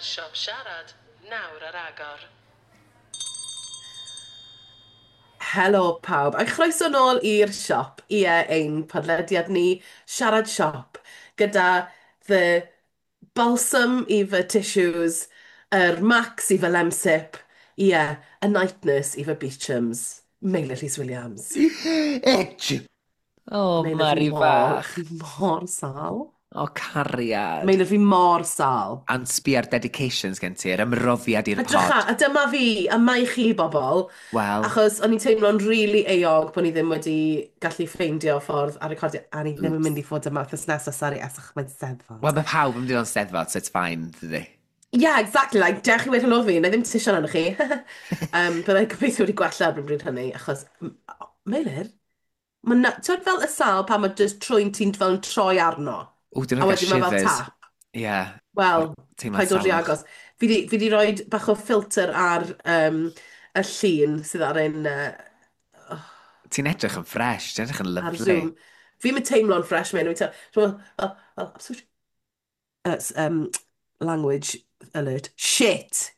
Mae'r siop siarad nawr ar agor. Helo pawb, a chroeso nôl i'r siop, ie, ein podlediad ni, Siarad Siop, gyda the balsam i fy tissues, yr Max i fy Lemsip, ie, y night nurse i fy Beechams, Meilir Rhys Williams. Itch! O, Meilir, fi Mari mor, fach. fi mor sâl. O, cariad. Meilir, fi mor sâl. Ond sbi ar dedications gen ti, yr ymroddiad i'r Edrycha, pod. a dyma fi, a mae chi bobl, Wel, achos o'n i'n teimlo'n rili euog bod ni ddim wedi gallu ffeindio ffordd a recordio, a ni ddim yn oops. mynd i fod yma wythnos nesaf, sori, esach mae'n Steddfod. Wel, mae pawb yn mynd i fod yn Steddfod, so it's fine, dydy. Yeah, exactly, like, dewch i weud helo fi, na i ddim tisian arnoch chi. Byddai'n gobeithio wedi gwella erbyn bryd hynny, achos, Meilir, mae na, ti'n fel y sâl pan mae just trwyn ti'n fel yn troi arno, Ww, dyn a nhw'n cael wedyn mae fel shivers. tap. Ie, yeah, o'r Wel, teimlad paid dod rhy salwch. agos. Fi di rhoi bach o ffilter ar y llun sydd ar ein, Ti'n edrych yn fresh, ti'n edrych yn ar lyfli. Zoom. Fi'n mynd teimlo'n fresh, man. Fi'n teimlo, well, absolute, language alert. Shit!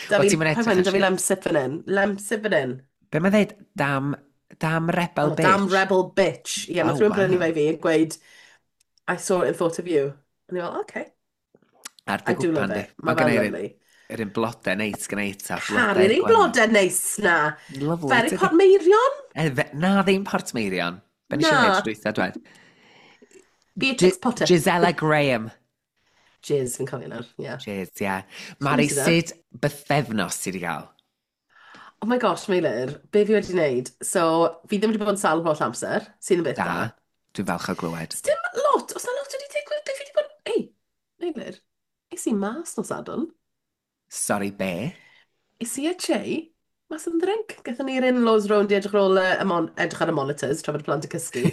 Da Wel, fi, ti'n mynd paid edrych poeni, yn da fi shit. lemsip fan hyn. Lemsip fan hyn. Be mae'n dweud? Damn, damn rebel Oh, damn bitch. rebel bitch. Ie, yeah, Oh, nath rhywun brynu wow. fe i fi yn gweud, "I saw it and thought of you." A ni fel, okay. Ar dy I do gwpan love di. it. Mae Mae gen fe'n i'r un, lovely. yr un blodau neis gen i ta, Caru'r blodau'r un gwanwyn. blodau neis na. Lovely, Ferry tydi? Portmeirion? Na, ddim Portmeirion. Be nes i ddweud Na. tro dwytha, dwed? Beatrix Potter. Gisela Graham. Jizz, fi'n cofio nawr, ie. Yeah. Cheers, ie. Yeah. Mari, Chwmti da. sut bythefnos ti wedi cael? Oh my gosh, Meilir, be fi wedi wneud? So, fi ddim wedi bod yn sâl holl amser, sydd yn beth Da. da. Dwi'n falch o glywed. Sdim lot, os na lot wedi digwydd, be fi wedi bod. Ei, Meilir, es i mas nos Sadwrn. Sorry, be? Es i a Jay, mas am ddrink. Gathon ni'r in-laws rownd i edrych ar ôl y edrych ar y monitors tra bod y plant yn cysgu.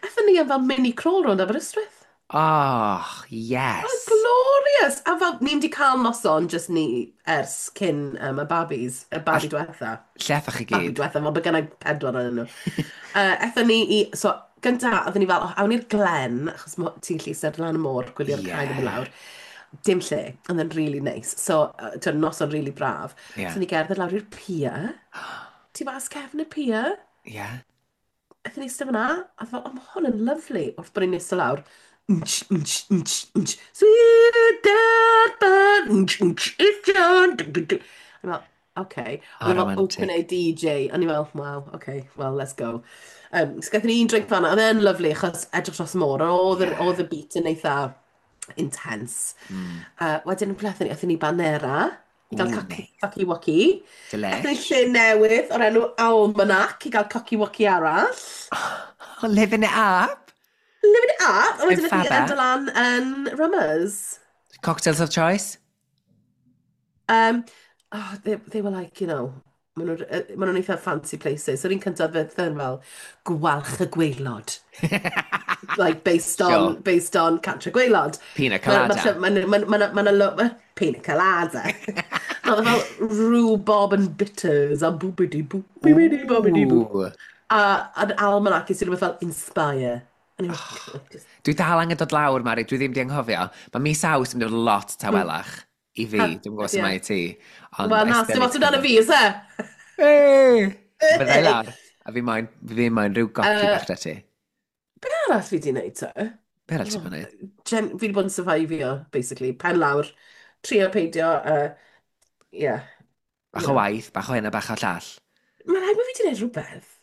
Aethon ni am fel mini crawl rownd Aberystwyth. Oh, Oh, yes. glorious! A fel, ni'n di cael noson, just ni, ers cyn y babis, y A babi diwetha. lle aethoch chi Babi gyd? diwetha, fel bod gennau pedwar yn nhw. Aethon ni i, so, gynta, oedden ni fel, oh, awn ni'r Glen, achos ti'n gallu eistedd lan y môr, gwylio'r cae yn mynd Yeah. lawr. Dim lle, ond yn really nice. So, ti'n noson really braf. Yeah. So ni gerdded lawr i'r pier, tu fas cefn y pier. Yeah. Aethon ni eistedd fyna, a fel, oh, mae hwn yn lovely. Wrth bod ni'n eistedd lawr, nch, nch, nch, nch, sweet dead bird, nch, nch, nch, nch, nch. A ni'n fel, okay. Oh, Oedd e fel open romantic. air DJ, a ni fel, wow, okay, well, let's go. So gaethon ni un drink fan'na, oedd e'n lovely, achos edrych dros y môr, oedd Yeah. oedd y beat yn eitha intense. Wedyn, ble aethon ni? Aethon ni Banera, i gael Ooh, coci, nice. coci woci. Aethon ni Delish. lle newydd o'r enw Almanac i gael coci woci arall. Oh, living it up. Living it up! A In wedyn aethon ni Faba. endo lan yn Rummers. Cocktails of choice? Oh, they were like, maen nhw'n eitha fancy places. So yr un cyntaf fydd yn fel gwalch y gwaelod. Like, based on, based on Cantre'r Gwaelod. Pina Mae ma, colada. ma, ma, ma, ma, ma, ma, pina colada. Oedd e fel rhubarb and bitters a boobity boop, boobity boobity boop. Ooh. A an almanac is rhywbeth fel inspire. A ni'n fel, just, Dwi dal angen dod lawr, Mari, dwi ddim di anghofio. Mae mis Awst yn mynd i fod lot tawelach i fi. Ha, Dwi'n gwybod sut ie. mae i ti. Ond Wel, I na, still dim need ots to amdano come fi, is e? Hey! Fydda i lawr. A fi moyn rhyw goci bach da ti. Be arall fi di wneud te? Be arall ti'n Oh, bod wneud? Fi wedi bod yn survivio, basically. Pen lawr, trio peidio, yeah, Bach you o know. waith, bach o hyn a bach o llall. Mae'n rhaid bod fi wedi gwneud rhywbeth.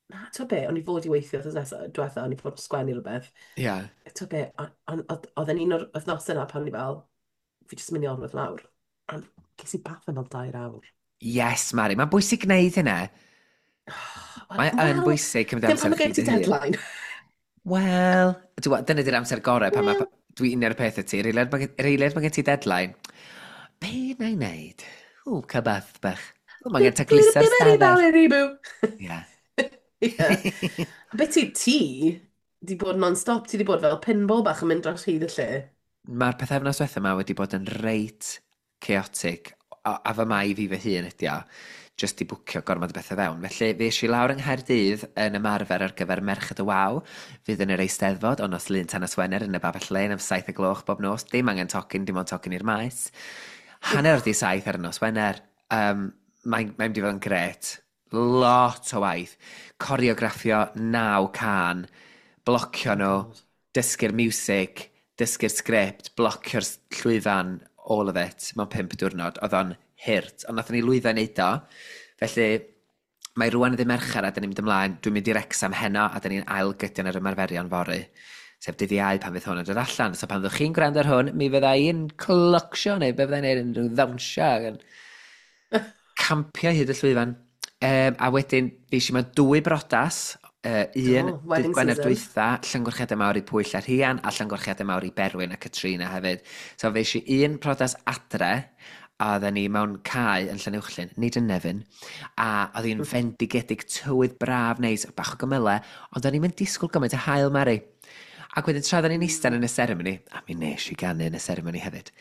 Na, ti'n be, o'n i fod i weithio wythnos nesaf, diwetha, o'n i fod yn sgwennu rhywbeth. Ie. Ti'n be, oedd e'n un o'r wythnosau yna pan o'n i fel, fi jyst yn mynd i orwedd lawr. Ond ges i bath am fel 2 awr. Yes, Mari. Mae'n bwysig gwneud hynna. Mae yn Wel, bwysig cymryd ddim amser pan mae i gen chdi ti dy hun. deadline. Wel, dyna di'r amser gorau pan mae... Wel, Dwi'n un o'r peth y ti. Yr eiliad mae gen ti deadline. Be na i wneud? Ww, cael bath bach. Ww, mae gen tacluso'r stafell. Ie. Ie. A beth ti di bod non-stop, ti di bod fel pinball bach yn mynd dros hyd y lle. Mae'r pythefnos diwetha yma wedi bod yn reit chaotic, a fy mai fi fy hun ydi o. Just i bwcio gormod o bethau fewn. Felly, fe eisiau lawr yng Nghaerdydd yn ymarfer ar gyfer Merched y Wawr, fydd yn yr Eisteddfod o nos Lun tan nos Wener yn y Babell Lên am 7 y gloch bob nos. Dim angen tocyn, dim ond tocyn i'r maes. 7:30 ar y nos Wener. Mae'n mynd i fod yn gret. Lot o waith. Coreograffio naw cân, blocio Oh nhw, God. dysgu'r music, dysgu'r sgript, blocio'r llwyfan, all of it, mewn 5 diwrnod. Oedd o'n hurt, ond nathon ni lwyddo i wneud o. Felly, mae rwan yn ddydd Mercher a dyn ni'n mynd ymlaen. Dwi'n mynd i Wrecsam heno a dyn ni'n ail-gydio ar ymarferion fory. Sef dydd Iau pan fydd hwn yn dod allan. So pan fyddwch chi'n gwrando ar hwn, mi fydda i'n clocsio neu be fydda i'n neud yn rhyw ddawnsio ac yn campio hyd y llwyfan. A wedyn, fi eisiau mewn dwy brodas. Un Do, dydd wedding Gwener season. dwytha, llongyfarchiadau mawr i Pwyll a Rhian, a llongyfarchiadau mawr i Berwyn a Katrina hefyd. So fe eisiau un prodas adre, a oedden ni mewn cae yn Llanuwchllyn, nid yn Nefyn, a oedd hi'n fendigedig, tywydd braf neis, bach o gymylau, ond o'n i'n mynd disgwyl gymaint o haul, Mari. Ac wedyn tra oedden ni'n eistedd yn y seremoni, a mi nes i ganu yn y seremoni hefyd,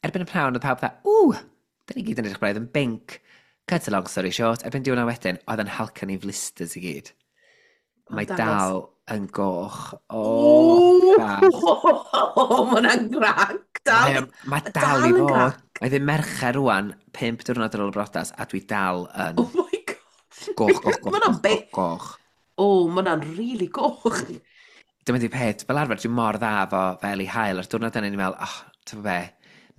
erbyn y pnawn oedd pawb dda, ww, da ni gyd yn edrych braidd yn binc. Cut a long story short, erbyn diwrnod wedyn, oedd yn halcan i flisters i gyd. O, Mae dangos. dal yn goch. O, O, bach. mae hwnna'n grac. Dal, Mae dal dal i yn fod. grac. Mae ddim Mercher rwan, 5 diwrnod ar ôl y brodas, a dwi dal yn Oh my God. goch, goch, Mae goch, hwnna'n goch, goch, bit. goch. O, mae hwnna'n really goch. Dyma di peth, fel arfer dwi'n mor dda fo fel eli haul, a'r diwrnod yna ni'n meddwl, oh, ti'n be,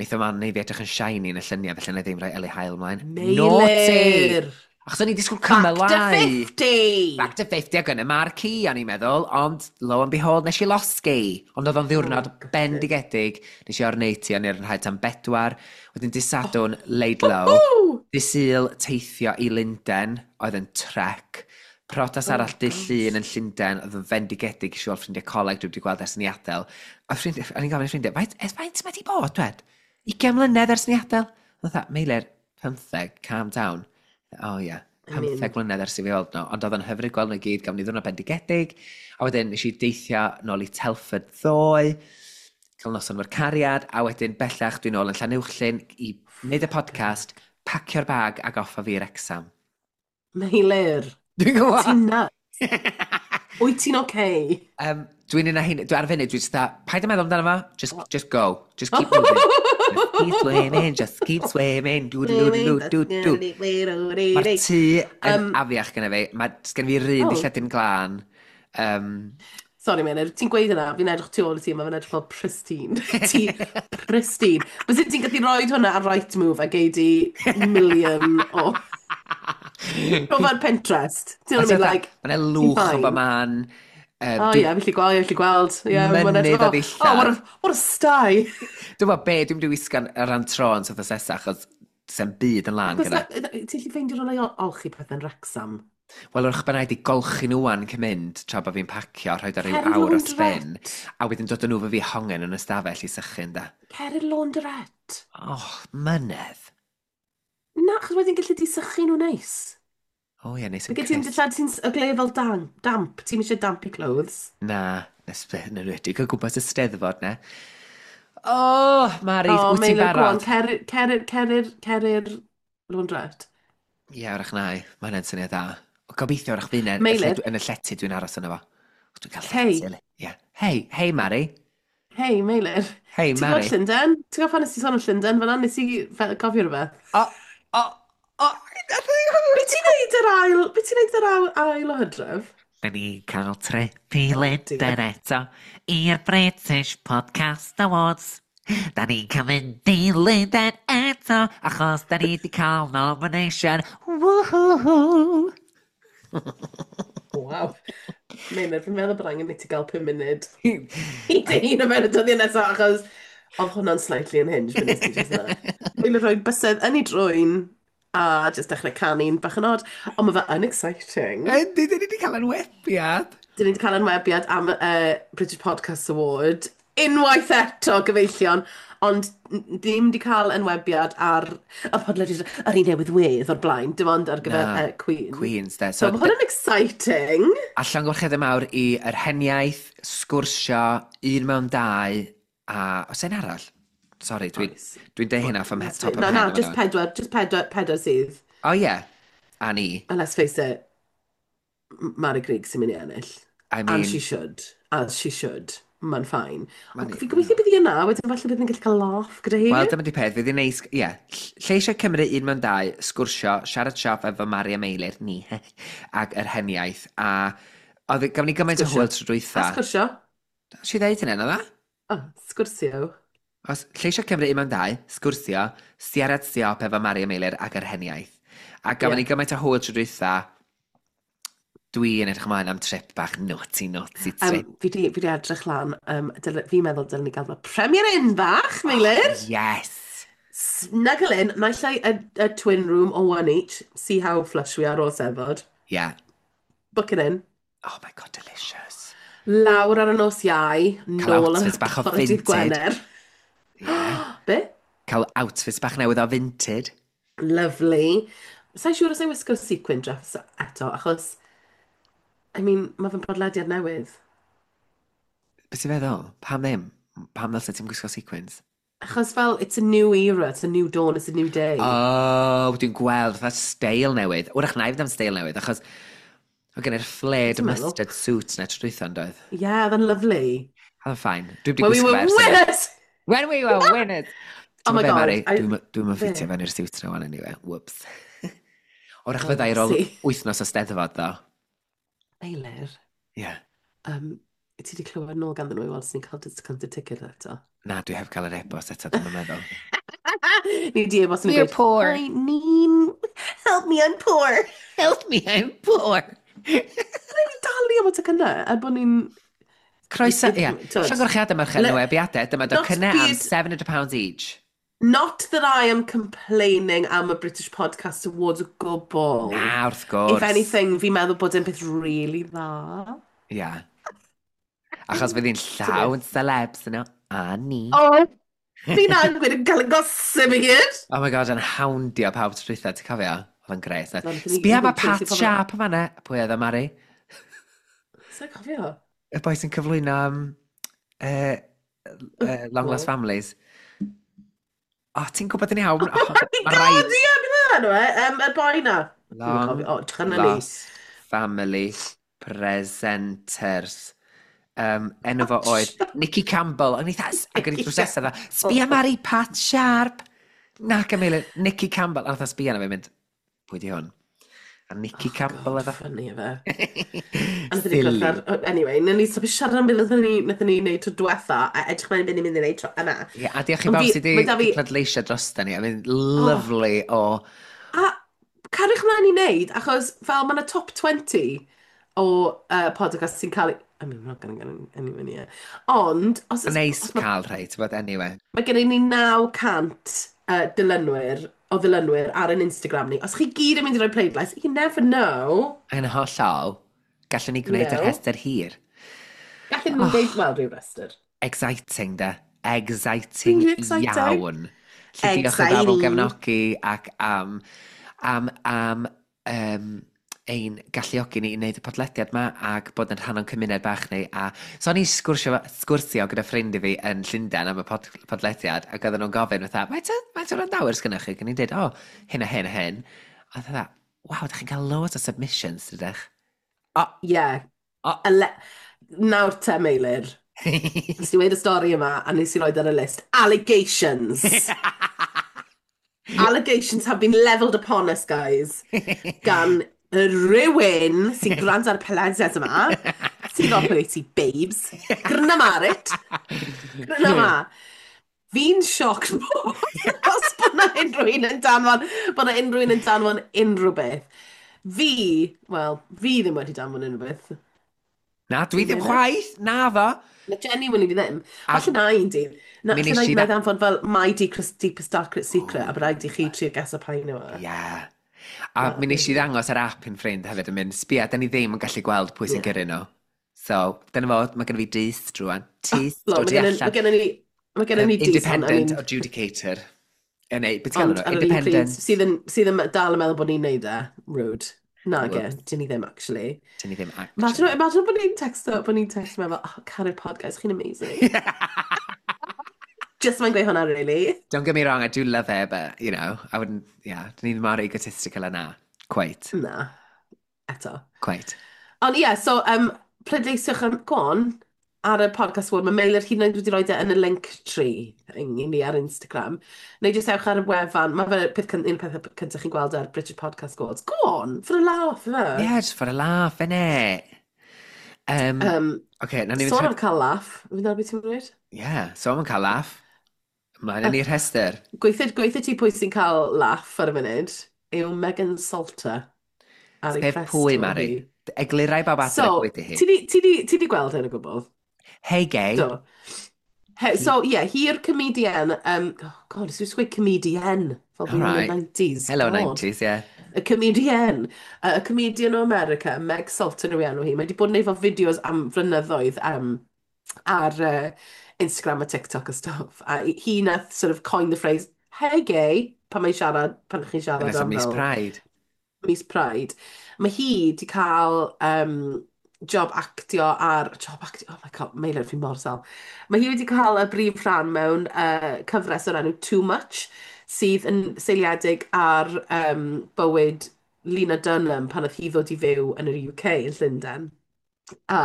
neith o man neu fi edrych yn shiny yn y lluniau, felly na i ddim rhoi eli haul ymlaen. Naughty! Meilir. Achos o'n i disgwyl Back to cymylau. 50. Back to 50 ac yn y marquee, o'n i'n meddwl, ond lo and behold, nes i losgi. Ond oedd o'n ddiwrnod Oh, gutted. bendigedig. Nes i orneiti, o'n i'r rhaid tan 4. Wedyn dydd Sadwrn, laid low. Woo! Dydd Sul, teithio i Lundain, oedd yn trek. Prodas Oh, arall dydd gosh. Llun yn Llundain, oedd yn fendigedig i weld ffrindiau coleg dwi wedi gweld ers ni adael. A ffrindiau, o'n i'n gofyn i ffrindiau, faint, ers faint mae di bod, dwed? 20 mlynedd ers ni adael? Oedd dda, Meilir, 15, calm down. Oh ie, yeah. I mean- 15 mlynedd ers i fi weld nhw, ond oedd yn hyfryd gweld nhw i gyd, gafon ni ddwrnod bendigedig. A wedyn nes i deithio nôl i Telford ddoe, cael noson o'r cariad, a wedyn bellach dwi'n nôl yn Llanuwchllyn i wneud y podcast, pacio'r bag ac off a fi i'r Wrecsam. Meilir. Dwi'n gwybod! Ti'n nuts. Wyt ti'n okay? Dwi'n un a hyn, dwi ar y funud, dwi'n just dda, paid â meddwl amdano fo, just go, just keep moving. Just keep swimming, just keep swimming, do do do do do do. Mae'r tŷ yn afiach gyda fi, mae gen fi'r un Oh. dilledyn glân. Sorry, Meilir, ti'n gweud yna, fi'n edrych tu ôl i ti, mae fe'n edrych fel pristine. Ti pristine. Byse ti'n gallu rhoi hwnna ar Rightmove a gei di million o... O fel Pinterest. Ti'n know what I mean? Like, Mae'n lwch o fine. ba man. Oh ie, fi'n gallu gweld, fi'n gallu gweld. Yeah, ma'n Mynydd edrych o fel, ddillad. Oh, what a sty. Dwi'n gwybod be, dwi'n mynd i wisgo'n ar ran tro yn sort nesaf, achos sy'n byd yn lan gyda. Ti'n gallu ffeindio rhywle i olchi pethau'n Wrexham? Wel, wrach bynnag di golchi nhw wan cyn mynd, tra bod fi'n pacio, rhoi ar ryw Cer i'r awr o spin, laundrette. a wedyn dod â nhw fo fi hongen yn y stafell i sychu da. Cer i'r laundrette. Oh, mynedd. Na, achos wedyn gallu di sychu nhw neis. O ie, neis yn Mae gen ti'n crisp. dillad ti'n y gle fel damp. Ti'n eisiau dampy clothes. Na, nes yn enwedig o gwmpas y Steddfod, ne. Oh, Mari, Oh, wyt ti'n Meilir, go on, barod? cer cer cer cer i'r laundrette. Ie, wrach na i. Mae hynny'n syniad da. O, gobeithio wrach fi yn y Meilir. yn y llety dwi'n aros yno fo. Dwi'n cael Hei. llety. Eli. Ie. Hei, hei Mari. Hei, Meilir. Hei, Ti'n Mari. gwybod Llundain? Ti'n gwybod pan nes ti sôn am Llundain fan'na? Nes i gofio rhywbeth. O, Be ti'n neud yr ail... Be ti'n neud yr ail o Hydref? Da ni cael trip i Lundain eto i'r British Podcast Awards. Da ni'n cael mynd i Lundain eto achos da ni wedi cael nomination. Woohoo! Waw. Meilir, fi'n meddwl bod angen i ti gael 5 munud i dy hun o fewn y dyddiau nesaf, achos oedd hwnna'n slightly unhinged, fe nes ti just na. Meilir rhoi bysedd yn ei drwyn a just dechrau canu'n bach yn odd. Ond mae fe yn exciting. Yndi, da ni wedi cael enwebiad. Dyn ni wedi cael enwebiad am British Podcast Award. Unwaith eto, gyfeillion. Ond ddim wedi cael enwebiad ar y podlediad ar un newydd wedd o'r blaen, dim ond ar gyfer Na, Queen. Queens, de. So, mae hwnna'n exciting. A llongyfarchiadau mawr i Yr Heniaith, Sgwrsio, Un Mewn Dau, a oes un arall? Sorry, dwi'n Oes. dwi deud hynna off top Na, of na, head. just pedwar, just pedwar, pedwar sydd. Oh yeah, a ni. And let's face it, Mari Grigg sy'n mynd i ennill. I And she mean, should. As she should. Mae'n fine. Mae'n Ond fi'n gobeithio bydd hi yna, wedyn falle bydd ni'n gallu cael laugh gyda hi. Wel, dyma di peth, fydd hi'n neis, ie. Yeah. Lleisiau Cymru un mewn dau, sgwrsio, siarad siop efo Mari a Meilir, ni, ac yr heniaith, a oedd, gafon ni gymaint o Sgwrsio. hwyl tro A dwytha. sgwrsio. Si ddeud hynny, na dda? Oh, sgwrsio. Os lleisiau Cymru un mewn dau, sgwrsio, siarad siop efo Mari a Meilir ac yr heniaith. A gafon Ie. ni gymaint o hwyl tro dwytha, dwi'n edrych ymlaen am trip bach naughty, naughty trip. Fi di edrych lan, fi'n meddwl dylen ni gael fel Premier Inn bach, Oh, Meilir. yes! Snuggle in, naill ai a twin room or one each. See how flush we are o'r Steddfod. Yeah. Book it in. Oh my God, delicious. Lawr ar y nos Iau, Cael nôl ar outfits bach o bore dydd Vinted. Gwener. Yeah. Be? Cael outfits bach newydd o Vinted. Lovely. Sa'n siŵr os ei wisgo sequin dress eto, achos, I mean, mae fe'n podlediad newydd. Beth ti'n feddwl? Pam ddim? Pam ddylse ti'n gwisgo sequins? Achos fel, it's a new era, it's a new dawn, it's a new day. Oh, dwi'n gweld fatha steil newydd. Wrach na i fynd am steil newydd, achos oedd gen i'r flared Ti'n meddwl? mustard suit na tro dwytha yn doedd. Yeah, then lovely. Oedd yn fine. Dwi wedi When we gwisgo were fe ers hynny. winners! When we were winners! Oh Ti'n my be, God. Mari? I... Dwi'n Be? ffitio fewn i'r suit na wan anyway. Whoops. Wrach Oh, fydda i ar ôl see. wythnos o Steddfod, ddo. Meilir, Ie. ti wedi clywed nôl ganddyn nhw i weld os ni'n cael discounted ticket eto? Na, dwi heb cael yr e-bost eto, dwi'n meddwl. Ni di e-bost yn We're gweud, poor. Hi, Nin, help me, I'm poor. Help me, I'm poor. Ni'n dalu am y tocynnau, er bod ni'n... Croeso, ie. T'wod, Llongyfarchiadau merched newidiadau, dyma Not docynnau am byd- £700 each. Not that I am complaining am y British Podcast Awards o gwbl. Na, wrth gwrs. If anything, fi'n meddwl bod e'n peth really dda. Ie. Achos fydd hi'n llawn celebs yno. A ni. Oh, fi'n gweud yn cael y gossip i gyd. Oh my God, yn houndio pawb tro dwytha, ti'n cofio? Oedd yn gret. Na, nathon ni- Sbia ma nathon ni Pat chasey pobl- Sharp yma na. Pwy oedd o, Mari? Sa'n cofio? Y boi sy'n cyflwyno Long Lost Well. Families. O, oh, ti'n gwybod yn iawn? Oh, Oh my ma' God, raid. ie, beth enw e? Y boi na. Dwi'm yn Long cofio. O, drych ni. Lost Family Presenters. Enw fo oedd Nicky Campbell. O'n i dda, ac o'n i drws nesaf dda, sbia Mari, Pat Sharp. Na, Camille, Nicky Campbell. A nath o sbia na fe mynd, pwy di hwn? A Nicky Oh, Campbell God, oedd o. funny efe. A nathon ni Silly. gwrdd ar... Anyway, nawn ni stopio siarad am beth nathon ni wneud tro diwetha, a edrych mlaen beth ni'n mynd i wneud tro yma. Ie, a diolch i Ond bawb fi- sydd mae 'da wedi fi- pleidleisio drosta ni. I mean, lovely o... A cariwch mlaen i wneud, achos fel mae yna top 20 o podcast sy'n cael... I mean, we're not gonna get anywhere near. Ond, os, os, Neis os mae cael rhai, ti'n bod, anyway. mae gennym ni 900 dilynwyr, o ddilynwyr ar ein Instagram ni. Os chi gyd yn mynd i roi pleidlais, you never know. Yn hollol, gallwn ni gwneud yr No. rhestr hir. Gallwn ni wneud, wel, rhyw restr. Exciting, de. Exciting Really exciting. iawn. Felly diolch i bawb am Exciting. gefnogi ac am ein galluogi ni i wneud y podlediad ma ac bod yn rhan o'n cymuned bach ni. A so o'n i sgwrsio gyda ffrind i fi yn Llundain am y podlediad ac oedden nhw'n gofyn fatha, faint o wrandawyr sgynnoch chi? Ac o'n i'n dweud, o, hyn a hyn a hyn. A fatha, waw, da chi'n cael loads o submissions, dydych? O, Yeah. o. Nawr te, Meilir. Nes i weud y stori yma, a nes i roed ar y list. Allegations. Allegations have been levelled upon us, guys. Gan rhywun sy'n gwrando ar y podlediad yma. Sy'n gwybod pwy wyt ti, babes. Gryna Marit. Gryna ma. Fi'n sioc os bod na unrhyw un yn danfon, bod na unrhyw un yn danfon unrhyw beth. Fi, wel, fi ddim wedi danfon unrhyw beth. Na, dwi ddim Ddim. chwaith, na fo. Na, genuinely fi ddim. A- Falle na un dydd. Na, Mi falle nes na i i danfon fel my deepest, deepest darkest secret, a bod rhaid i chi trio guess pa un yw e. Ie. A mi nes i ddangos yr app i'n ffrind hefyd yn mynd, sbia, da ni ddim yn gallu gweld pwy sy'n gyrru nhw. So, dyna fo, mae gen i fi dyst rwan. Tyst Lo, o mae tu gennym allan. mae gennym ni dyst, ond, I Independent mean, adjudicator. Neu, beth ti'n galw ond nhw? ar yr un pryd, Independent. sydd yn dal yn meddwl bod ni'n neud e, rude. Na, ge, Whoops. dyn ni ddim, actually. Dyn ni ddim Imagine, actually. imagine bod ni'n texto, bod ni'n texto meddwl, oh, caru'r podcast, chi'n amazing. Just mae'n gweud hwnna, really. Don't get me wrong, I do love her, but, you know, I wouldn't, yeah, dyn ni'n mor egotistical yna. Quite. Na, eto. Quite. Ond ie, yeah, so pleidleisiwch am, go on, ar y podcast award. Mae Meilir hyd yn oed wedi rhoi e yn y link tree i ni ar Instagram. Neu jyst ewch ar y wefan. Mae fe peth, un peth cyntaf chi'n gweld ar British Podcast Awards. Go on, for a laugh, fe. Yeah, just for a laugh, innit? Okay, na ni Sôn am cael laugh. Fi'n dal beth ti'n dweud? Yeah, so am cael laugh. Ymlaen yn i'r rhestr. Gweithio ti pwy sy'n cael laugh ar y funud yw Megan Salter ar ei Sef press pwy, tour Mari? hi. Eglurau bawb adre So, pwy di hi. ti di gweld hyn o gwbl? Hey, gay. Do. He, so, yeah, hi yw'r comedian, oh God, nes i gweud comedian, fel All fi'n yn y right. 90s, Hello, God. 90s, yeah. Y comedian, y comedian o America, Meg Salter yw ei enw hi. Mae wedi bod yn neud fel fideos am flynyddoedd ar Instagram a TikTok a stuff. A hi nath sort of coin the phrase, "Hey gay," pan mae'n siarad, pan chi'n siarad Dyna am Miss fel Pride. Miss Pride. Mae hi wedi cael job actio ar... Job actio? Oh my God, Meilir, fi mor sâl. Mae hi wedi cael y brif rhan mewn cyfres o'r enw Too Much, sydd yn seiliedig ar bywyd Lena Dunham pan oedd hi ddod i fyw yn yr UK yn Llundain. A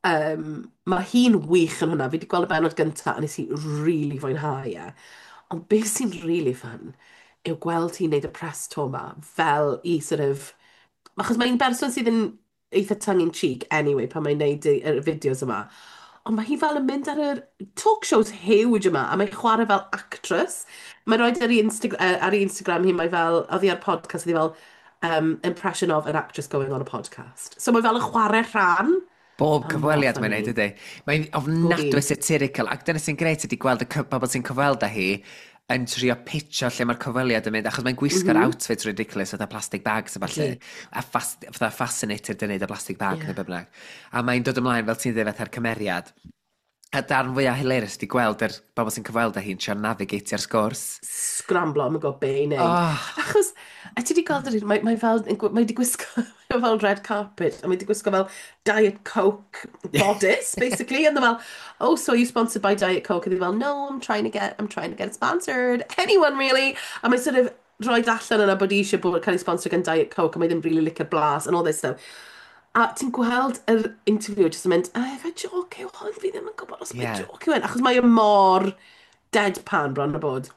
mae hi'n wych yn hwnna. Fi wedi gweld y bennod gyntaf a nes i really fwynhau e. Ond beth sy'n really fun yw gweld hi'n neud y press tour ma fel i sort of... Achos mae'n berson sydd yn eitha tongue-in-cheek anyway pan mae'n neud y fideos yma. Ond mae hi fel yn mynd ar yr talk shows huge yma a mae'n chwarae fel actress. Mae'n rhoi ar ei, ar ei Instagram hi, mae fel, oedd hi ar podcast, oedd hi fel impression of an actress going on a podcast. So mae fel yn chwarae rhan. Bob Mae'n mor cyfweliad mae'n funny. neud, ydy. Mae'n ofnadwy Bob un. satirical, ac dyna sy'n grêt ydy gweld y bobl sy'n cyfweld â hi yn trio pitcho lle mae'r cyfweliad yn mynd, achos mae'n gwisgo'r outfit ridiculous, fatha plastic bags a falle, a fatha fascinated yn neud y plastic bag neu be bynnag. A mae'n dod ymlaen fel ti'n dweud fatha'r cymeriad. A darn fwyaf hilarious ydy gweld yr bobl sy'n cyfweld â hi'n trio navigatio'r sgwrs. Scramblo, am y gwybod be i wneud. Oh. Achos, a ti wedi gweld yr un, mae fel, mae wedi gwisgo fel red carpet, a mae wedi gwisgo fel Diet Coke bodice, basically, and they're fel, "Oh, so are you sponsored by Diet Coke?" And they're fel, "No, I'm trying to get sponsored. Anyone, really?" A mae sort of rhoi allan yna bod eisiau bod cael ei sponsor gan Diet Coke, a mae ddim really licio'r blas, and all this stuff. A ti'n gweld yr interview jyst yn mynd, "Ah, ife joke yw hwn, fi ddim yn gwybod os mae joke yw hwn," achos mae e mor deadpan bron o bod.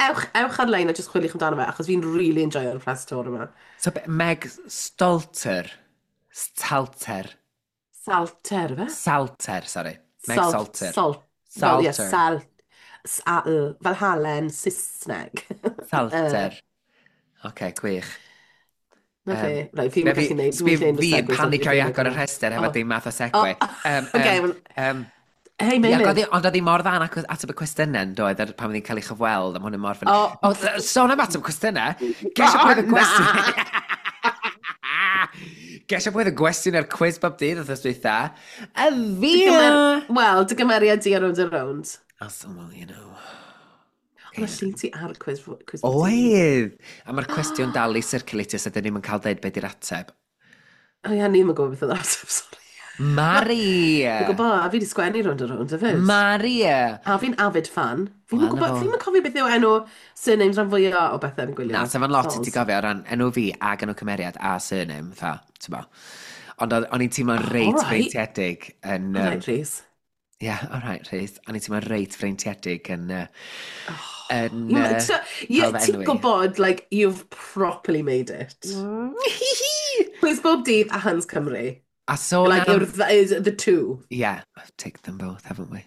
Ewch ar-lein a jyst chwiliwch amdano fe, achos fi'n really enjoyo'r press tour yma. So, Meg Stalter. Stalter. Salter, fe? Salter, sorry. Meg Salt, Salter. Salt. Wel, ie, Salter. sal, sal, fel halen Saesneg. Salter. Oce, gwych. Na fe. Right, fi'n gallu neud, Sbi dwi'n fi yn segues, panicio i ond agor y rhestr hefo dim math o segue. Oh, okay, well, Hei, Ie, Meilir. ond oedd hi mor dda yn ateb y cwestiynau yn doedd ar pan oedd hi'n cael ei chyfweld, a ma' hwnna'n mor funny. Oh. Oh, sôn am ateb cwestiynau, gesio pwy oedd y gwestiwn... Gesio pwy oedd y gwestiwn ar quiz bob dydd wrth dwytha. Y fi! Wel, dy gymeriad di ar Rownd a Rownd. Oh, well, you know. Ond y llun ti ar quiz bob dydd. Oedd! A mae'r cwestiwn dal i circulatio, so dyn ni'n cael deud beth di'r ateb. O ie, ni'n gwybod beth oedd yr ateb, sorry. Mari! Fi'n gwybod, a fi wedi sgwennu Rownd a Rownd hefyd. Mari! A fi'n avid fan. Fi'n Wel, gwybod, na fo. fi'n cofio beth yw enw surnames rhan fwyaf o bethau fi'n gwylio. Na, sef yn lot i ti Soz. gofio o ran enw fi ag enw cymeriad a surname, fatha, ti'n bo. Ond o'n i'n teimlo'n reit Alright. freintiedig yn... All right, Rhys. Yeah, all right, Rhys. O'n i'n teimlo'n reit freintiedig yn... yn Yeah, cael fy ti'n enwi. gwybod, like, you've properly made it. Quiz bob dydd a Hans Cymru. A sôn Like, am... is the two. Yeah, I've ticked them both, haven't we?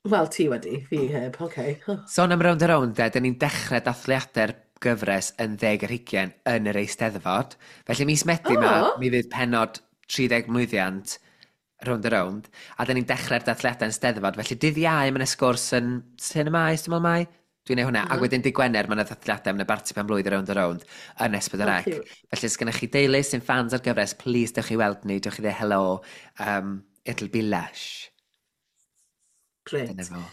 Wel, ti wedi, fi heb, okay. Sôn am Rownd a Rownd, de, dyn ni'n dechrau dathliadau'r gyfres yn 20 yn yr Eisteddfod. Felly mis Medi ma, mi fydd penod 30 mlwyddiant Rownd a Rownd, a dyn ni'n dechrau'r dathliadau yn Steddfod. Felly dydd Iau, mae yna sgwrs yn Cinema Maes, dwi'n meddwl mai? Dwi'n neud hwnna. Ac wedyn dydd Gwener, mae yna ddathliadau, mae yna barti pen blwydd Rownd a Rownd yn S4C. Oh, cute. Felly, os gennych chi deulu sy'n fans ar gyfres, please dewch i weld ni, dewch i ddweud hello. It'll be lush. Great. Dyna fo.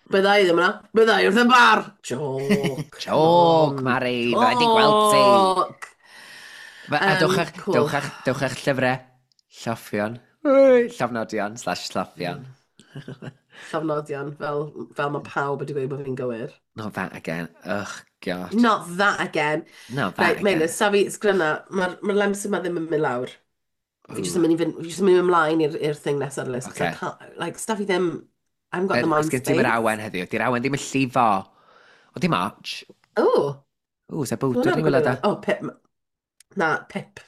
Bydda i ddim yna. Bydda i wrth y bar. Joke. Joke, Mari, fydda i 'di gweld ti. Joke. A Cool. dewch â'ch llyfrau, lloffion, llofnodion, slash lloffion. Llofnodion, fel mae pawb wedi gweud bod fi'n gywir. Not that again. Ugh, God. Not that again. Not that Right, again. Meilir, safi sgryna, mae'r ma lemsip ma ddim yn mynd lawr. Fi jyst yn Ooh, mynd i fynd, fi jyst yn mynd ymlaen i'r thing nesaf ar y list. 'Cause I okay. can't, like, stuff i ddim, I haven't got the Cos mind gen ti'm yr space. awen heddiw. Di'r awen ddim yn llifo. O, dim ots. Oh, Ww, se so bwdwr hwnna'n ni gwybod. wylod da. Oh, pip. Na, pip.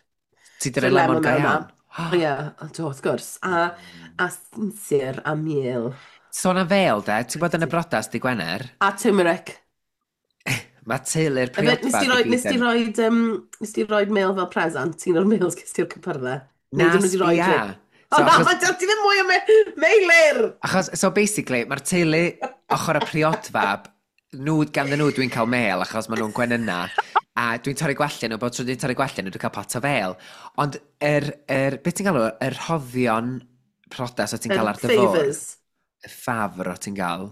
Ti di So roi lemon lemon go mewn na. iawn. Ie, do, wrth gwrs. A sinsir a miel. Sôn am fel, de, ti'n bod yn y Pretty. brodas di Gwener? A turmeric. Mae teulu'r Efe, nes di priodfab i roi, gyd nes di yn... roi, nes di roi mel fel present, un o'r mels ges ti'r cypyrddau. Na, Neu dyn nhw wedi roi sbia. ti. O So, na, achos, mae ti ddim mwy o meilir! achos, so basically, mae'r teulu ochr y priodfab, nhw, ganddyn nhw dwi'n cael mel, achos maen nhw'n gwenyna, a dwi'n torri gwallt nhw, bod tro dwi'n torri gwallt nhw, dwi'n cael pot o fel. Ond, beth ti'n galw, yr rhoddion priodas o ti'n Yr cael ar dy fwrdd, favours. Y ffafr o ti'n gael,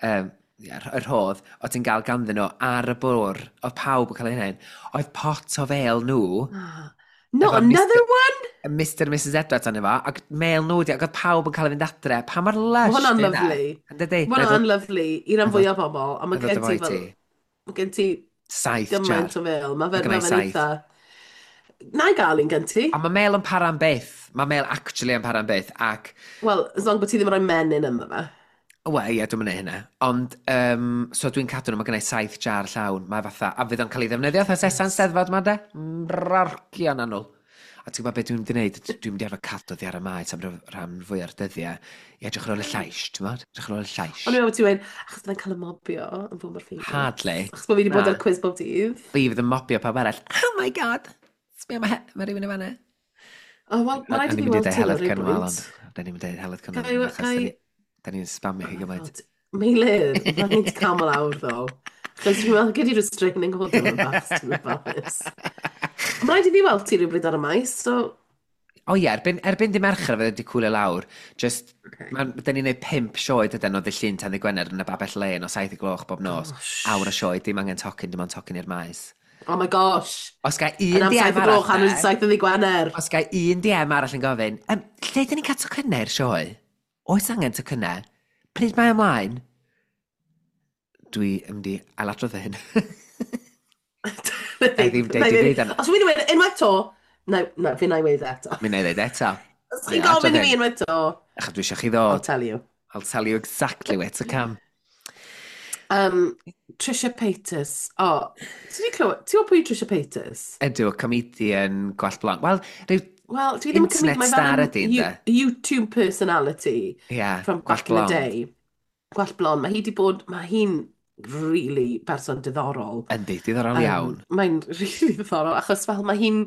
ie, yr rhodd o ti'n gael ganddyn nhw ar y bwrdd, oedd pawb yn cael ei hyn, oedd pot o fel nhw, Ah. Not efo another Mr one? Mr and Mrs Edwards arno fo, ac mel nhw di, ac oedd pawb yn cael ei fynd adre. Pa mor Mae lush hwnna'n di hynna? lyfli. Yn dydi? Mae hwnna'n lyfli i ran Na i fwyaf o bobl, ond ddod mae gen efo ti i fel, ti. mae gen ti 7 jar. gymaint o fel. Mae Mae fe, gynna ma i fe'n 7. eitha... Na i gael un gen ti. A mae mel yn para am byth. Mae mel actually yn para am byth. Ac, Wel, as long bod ti ddim yn rhoi menyn ynddo fe. wel, ie, dwi'n mynd hynna. Ond, so dwi'n cadw nhw, mae gynna i 7 jar llawn. Mae fatha, a fydd o'n cael ei ddefnyddio fatha sesan Yes. Steddfod ma de? Rorcion anwl. A ti'n gwybod beth dwi'n mynd i wneud? Dwi'n mynd i arfer cadw ddi ar y maes am rhan fwy o'r dyddiau i edrych ar ôl y llais, ti'n gwybod? Edrych ar ôl y llais. O'n i'n meddwl bod ti'n gweud, achos byddai'n cael y mobio yn fwy mor famous. Hardly. Achos bod fi wedi Na. bod ar quiz bob dydd. Fi fydd yn mobio pawb arall. Oh my God! Sbia, mae rhywun yn fanna. O, wel, mae O'n rhaid i i'n fi mynd i weld dweud ti ar Heledd ryw Cynwal, bwynt. ond da ni'n mynd i dweud Heledd Cynwal Gai, achos gai... da ni'n spamio Oh hi my gymaint. God. Meilir, mae'n rhaid i cael lawr, ddo. Achos dwi'n meddwl, gyd i restraining order yn bach, ti'n ofalus. Mae rhaid i fi weld ti rhywbryd ar y maes, so... O ie, erbyn di Mercher fydd wedi cwlio lawr. Just, Okay. ma, da ni'n neud 5 sioe dydyn o ddydd Llun tan ddydd Gwener yn y Babell Lên o 7 y gloch bob nos. Gosh. Awr o sioe, dim angen tocyn, dim ond tocyn i'r maes. Oh my gosh. Os ga Yn un am DM 7 y arall gloch, am de, 7 y ddydd Gwener. os ga un DM arall yn gofyn, lle dyn ni'n cael tocynnau i'r sioe? Oes angen tocynnau? Pryd mae ymlaen? Dwi yn mynd i ailadrodd fy hyn. Na i ddim deud dim byd am... Os dwi'n dweud unwaith to, na, na, fi na i weud eto. Mi na i ddeud eto. Os Na i chi'n gofyn adrodd i fi hyn. unwaith to, Achos dwi eisiau chi I'll ddod. tell you. I'll tell you exactly where to come. Trisha Paytas. O, oh, ti wedi clywed, ti'n gwybod pwy yw Trisha Paytas? Ydw, comedian gwallt blond. Wel, rhyw Wel, dwi ddim yn cymryd, internet mae fel star yn ydy, ynde? YouTube personality Ie, from gwallt back in the blond. day. Gwallt blond. Mae hi wedi bod, mae hi'n really person diddorol. Yndi, diddorol iawn. Mae'n really diddorol, achos fel mae hi'n...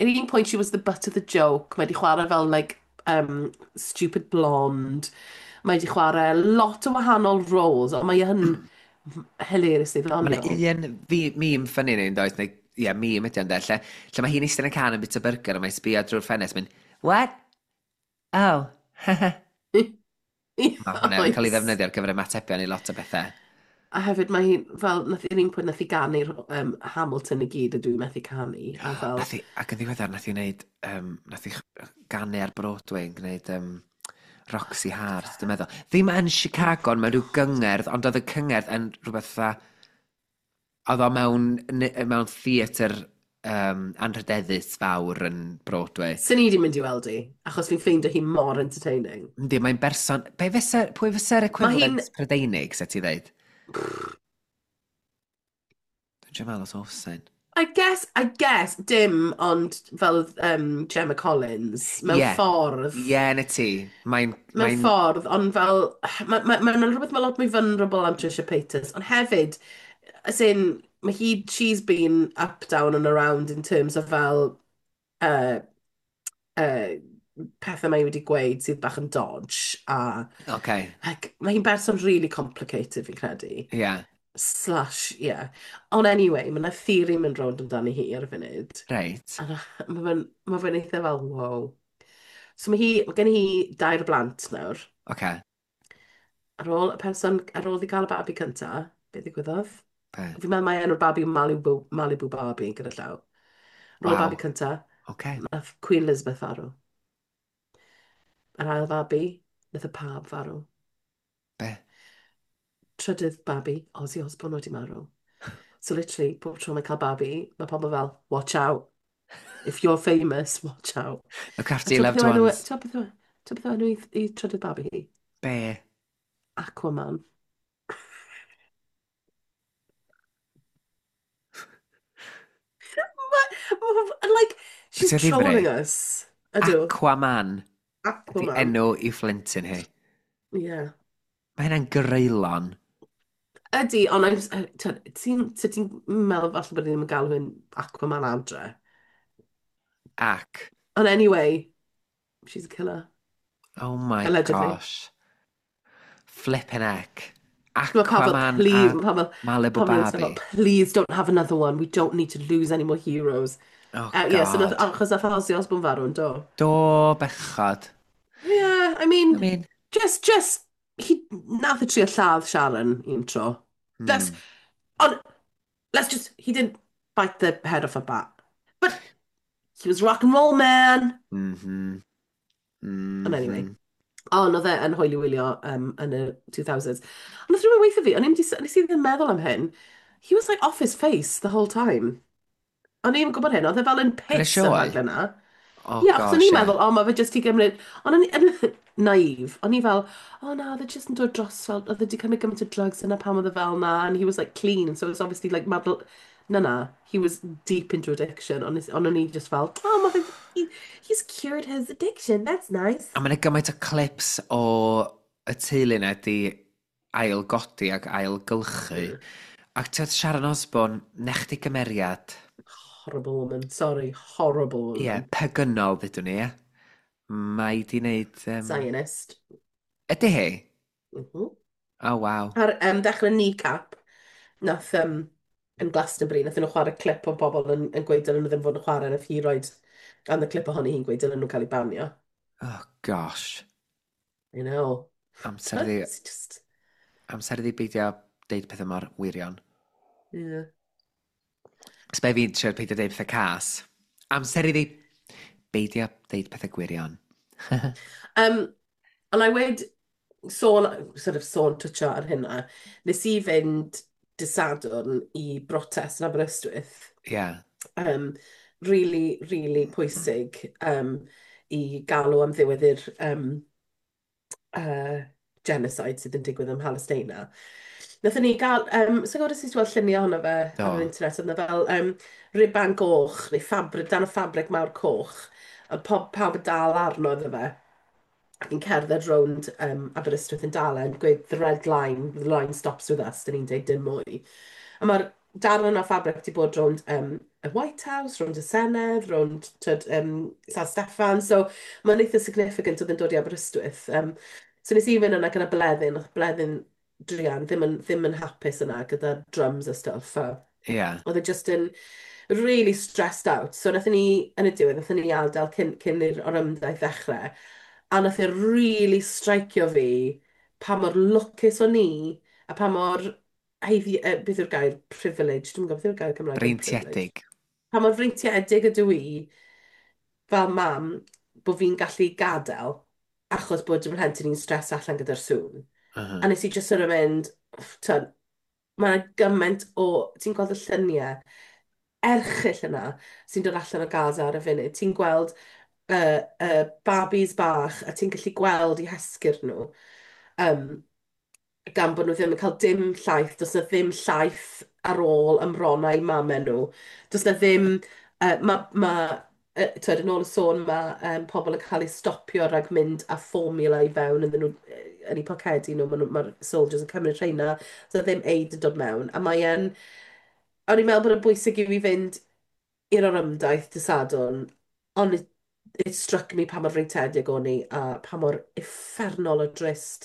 At un point she was the butt of the joke. Mae wedi chwarae fel, like, stupid blonde. Mae wedi chwarae lot o wahanol roles, ond mae yn hilariously Mae ddoniol. yna un meme funny ni'n does, neu, ie, meme ydy ond lle, lle mae hi'n eistedd yn y car yn bwyta burger a mae'n sbio drwy'r ffenest, mynd, "What? Oh." Mae hwnna yn cael ei Oes. ddefnyddio ar gyfer ymatebion i lot o bethau. A hefyd mae hi'n, fel, nath yr un pwynt nath hi ganu'r Hamilton i gyd a dwi'n methu canu, a fel, Nath hi, ac yn ddiweddar, nath hi wneud, nath hi ganu ar Broadway yn gwneud Roxy Hart, dwi'n meddwl. Ddim yn Chicago, ond mewn rhyw gyngerdd, ond oedd y cyngerdd yn rhywbeth fatha, oedd o mewn theatr anrhydeddus fawr yn Broadway. Sy'n ni wedi mynd i weld hi, achos fi'n ffeindio hi mor entertaining. Yndi, mae'n berson... Be fysa, pwy fysa'r Mae hi'n, equivalent Prydeinig, se ti ddeud? Dwi'n meddwl os oes un. I guess, dim, ond fel Gemma Collins, mewn ffordd, Ie, na ti. Mae'n... mewn Mae'n... ffordd, ond fel, mae ma, ma, ma rhywbeth mae lot mwy vulnerable am Trisha Paytas, ond hefyd, as in, mae hi, she's been up, down and around in terms of fel, pethau mae hi wedi gweud sydd bach yn dodge, a like, mae hi'n berson really complicated fi'n credu. Slash, yeah. Ond anyway, mae yna theory mynd rownd amdani hi ar y funud. A mae fe'n ma fe eitha fel, wow. So mae gen hi dair o blant nawr. Ar ôl y person, ar ôl i gael y babi cynta, beth ddigwyddodd? Be? Fi'n meddwl mai enw'r babi yw Malibu, Malibu Barbie gyda llaw. Ar ôl y babi cynta, nath Queen Elizabeth farw. Yr ail fabi, nath y pab farw. Be? Trydydd babi, Ozzy Osbourne wedi marw. So literally, pob tro mae'n cael babi, mae pobl fel, watch out. If you're famous, watch out. Look A after your ti'n beth loved yw enw, ones. ti'n beth yw, ti'n beth yw enw i trydydd babi hi? Be? Aquaman. And like, she's Ti'n ddifri? trolling us. Ydw. Aquaman ydy Aquaman. enw i phlentyn hi. Yeah. Mae hynna'n greulon. Ydy, ond I'm ti'n meddwl falle bod ni ddim yn galw hyn Aquaman adre. Ac, Ond anyway, she's a killer. oh my Allegedly. gosh. Flippin' heck. Mae pawb fel, Aquaman please, a mae Malibu pawb yn fel, Barbie. please don't have another one. We don't need to lose any more heroes. Oh Yeah, so nath, god. achos nath Ozzy Osbourne farw yn do. Do bechod. Yeah, I I mean, mean, just, he, nath e trio lladd Sharon un tro. Let's, on, let's just, he didn't bite the head off a bat. But he was rock and roll man. And anyway. Ond oedd e yn hwyl i wylio yn y 2000s. Ond nath rhywun weithio fi, o'n i'm nes i ddim meddwl am hyn. He was like off his face the whole time. O'n i'm yn gwybod hyn, oedd e fel yn Yn y piss y sioe? rhaglen na. Oh Ie, yeah, achos o'n gosh, i'n ie. meddwl, o, mae fe jyst i gymryd... Ond o'n i naif, o'n i fel, oh na, oedd e jyst yn dod dros fel, oedd e wedi cymryd gymaint o drugs yna pam oedd e fel na, and he was like clean, so it was obviously like mad... Na na, he was deep into addiction, ond o'n i just fel, oh, mae fe, he's cured his addiction, that's nice. A mae'n gymaint o clips o y teulu yna di ail-godi ac ail-gylchu. Ac ti'n Sharon Osbourne, nech di gymeriad. Horrible woman, sorry, horrible Ie, yeah, woman. pegynol, ddydwn ni, ie. Mae di wneud... Zionist. Ydy hi? Mm -hmm. Oh, waw. Ar dechrau kneecap, nath yn Glastonbury, nath nhw chwarae clip o bobl yn gweud dylen nhw ddim fod yn chwarae, nath hi roed and y clip ohoni hi'n gweud dylen nhw cael ei banio. Oh, gosh. I know. Amser iddi, It's just... amser iddi beidio deud pethau mor wirion. Yeah. Sbe fi'n trio peidio deud pethau cas. Amser iddi beidio deud pethau gwirion. Ond I wedi sôn, sort of sôn twtio ar hynna, nes i fynd dydd Sadwrn i brotest yn Aberystwyth. Ie. Yeah. Really, really pwysig i galw am ddiwedd i'r genocide sydd yn digwydd ym Mhalesteina. Nathon ni gael, so gwybod os ti'n gweld lluniau ohono fe Do. ar yr internet, oedd 'na fel riban goch, neu ffabrig, dan o ffabrig mawr coch, a pawb yn dal arno iddo fe, ac yn cerdded rownd Aberystwyth yn dal e, yn gweud, the red line, the line stops with us, dyn ni'n deud dim mwy. A mae'r darn yna o ffabrig wedi bod rownd y White House, rownd y Senedd, rownd tyd, San Steffan, so mae'n eitha significant oedd yn dod i Aberystwyth. So nes i fynd yna gyda Bleddyn, oedd Bleddyn druan ddim yn hapus yna gyda drums a stuff. A oedd e just yn really stressed out. So nathon ni, yn y diwedd, nathon ni adael cyn i'r orymdaith ddechrau. A nath e really stricio fi pa mor lwcus o'n i a pa mor haeddu, beth yw'r gair, privilege, dwi'n gwybod beth yw'r gair Cymraeg am privilege. Breintiedig. Pa mor freintiedig ydw i fel mam bod fi'n gallu gadael achos bod fy mhlentyn i'n stress allan gyda'r sŵn. A nes i just sort of mynd, tyn, mae yna gymaint o, ti'n gweld y lluniau erchyll yna sy'n dod allan o Gaza ar y funud. Ti'n gweld babis bach a ti'n gallu gweld eu hesgyrn nhw. Gan bod nhw ddim yn cael dim llaeth, does na ddim llaeth ar ôl ymronnau mamau nhw. Does na ddim, ma, twyd, yn ôl y sôn, mae pobl yn cael eu stopio rhag mynd â formula i fewn ynddyn nhw, yn eu pocedi nhw, mae'r ma soldiers yn cymryd rheina, does na ddim aid yn dod mewn. A mae yn, o'n i'n meddwl bod yn bwysig i fi fynd i'r orymdaith dydd Sadwrn, ond it struck me pa mor freintiedig o'n i a pa mor uffernol o drist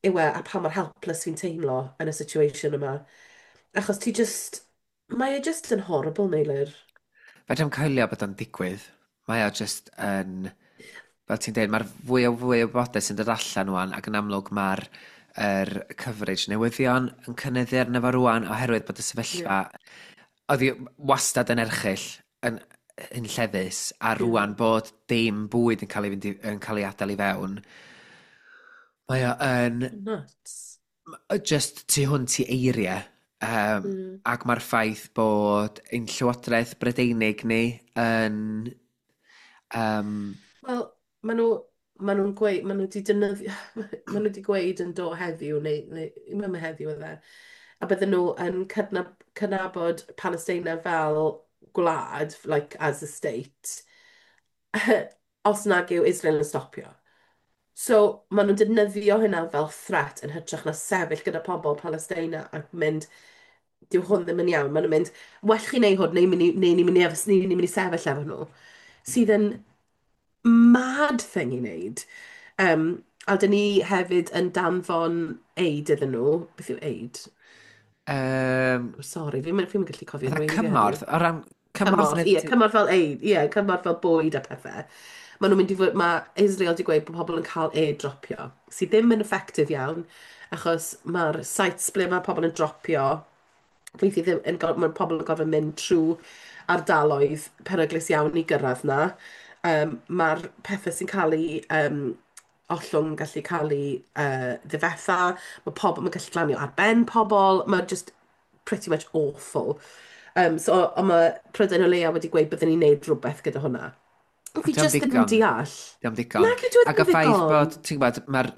yw e a pa mor helpless fi'n teimlo yn y situation yma. Achos ti just, mae e just yn horrible, Meilir. Fedrai'm coelio bod o'n digwydd. Mae o just yn... Fel ti'n dweud, mae'r fwy o wybodaeth sy'n dod allan rwan, ac yn amlwg mae'r er coverage newyddion yn cynyddu arno fo rwan, oherwydd bod y sefyllfa... Oedd hi wastad yn erchyll, yn lleddus, a rwan bod dim bwyd yn cael ei, fynd i, yn cael ei adael i fewn. Mae o yn Nuts. Just tu hwnt i eiriau. Ac mae'r ffaith bod ein Llywodraeth Brydeinig ni yn Wel, maen nhw'n gweud, maen nhw wedi defnyddio, maen nhw wedi gweud yn do heddiw, neu ddim heddiw oedd e, a bydden nhw yn cydnabod Palestina fel gwlad, like as a state, os nag yw Israel yn stopio. So, maen nhw'n defnyddio hynna fel threat yn hytrach na sefyll gyda pobl Palestina ac mynd, "Dyw hwn ddim yn iawn." Maen nhw'n mynd, "Well chi wneud hwn, neu ni'n mynd i sefyll efo nhw." Sydd yn mad thing i wneud. A dyn ni hefyd yn danfon aid iddyn nhw. Beth yw aid? Oh, sorry, fi'n gallu cofio Fatha gweud cymorth, heddiw. o ran cymorth Cymorth, neu ie, cymorth fel aid, ie, cymorth fel bwyd a pethau. Maen nhw'n mynd i fod, mae Israel wedi gweud bod pobl yn cael airdropio, sydd ddim yn effective iawn, achos mae'r sites ble mae pobl yn dropio, weithiau ddim yn, mae pobl yn gorfod mynd trwy ardaloedd peryglus iawn i gyrraedd na. Mae'r pethau sy'n cael eu ollwng yn gallu cael eu ddifetha, mae pobl, mae'n gallu glanio ar ben pobl, mae just pretty much awful. So, ond mae Prydain o leia wedi gweud byddwn ni'n neud rhywbeth gyda hwnna. Ond fi Dio'm just ddim yn digon. deall. Dio'm digon. Nag yw, Ac ddim y yn ffaith ddigon. bod, ti'n gwybod, mae'r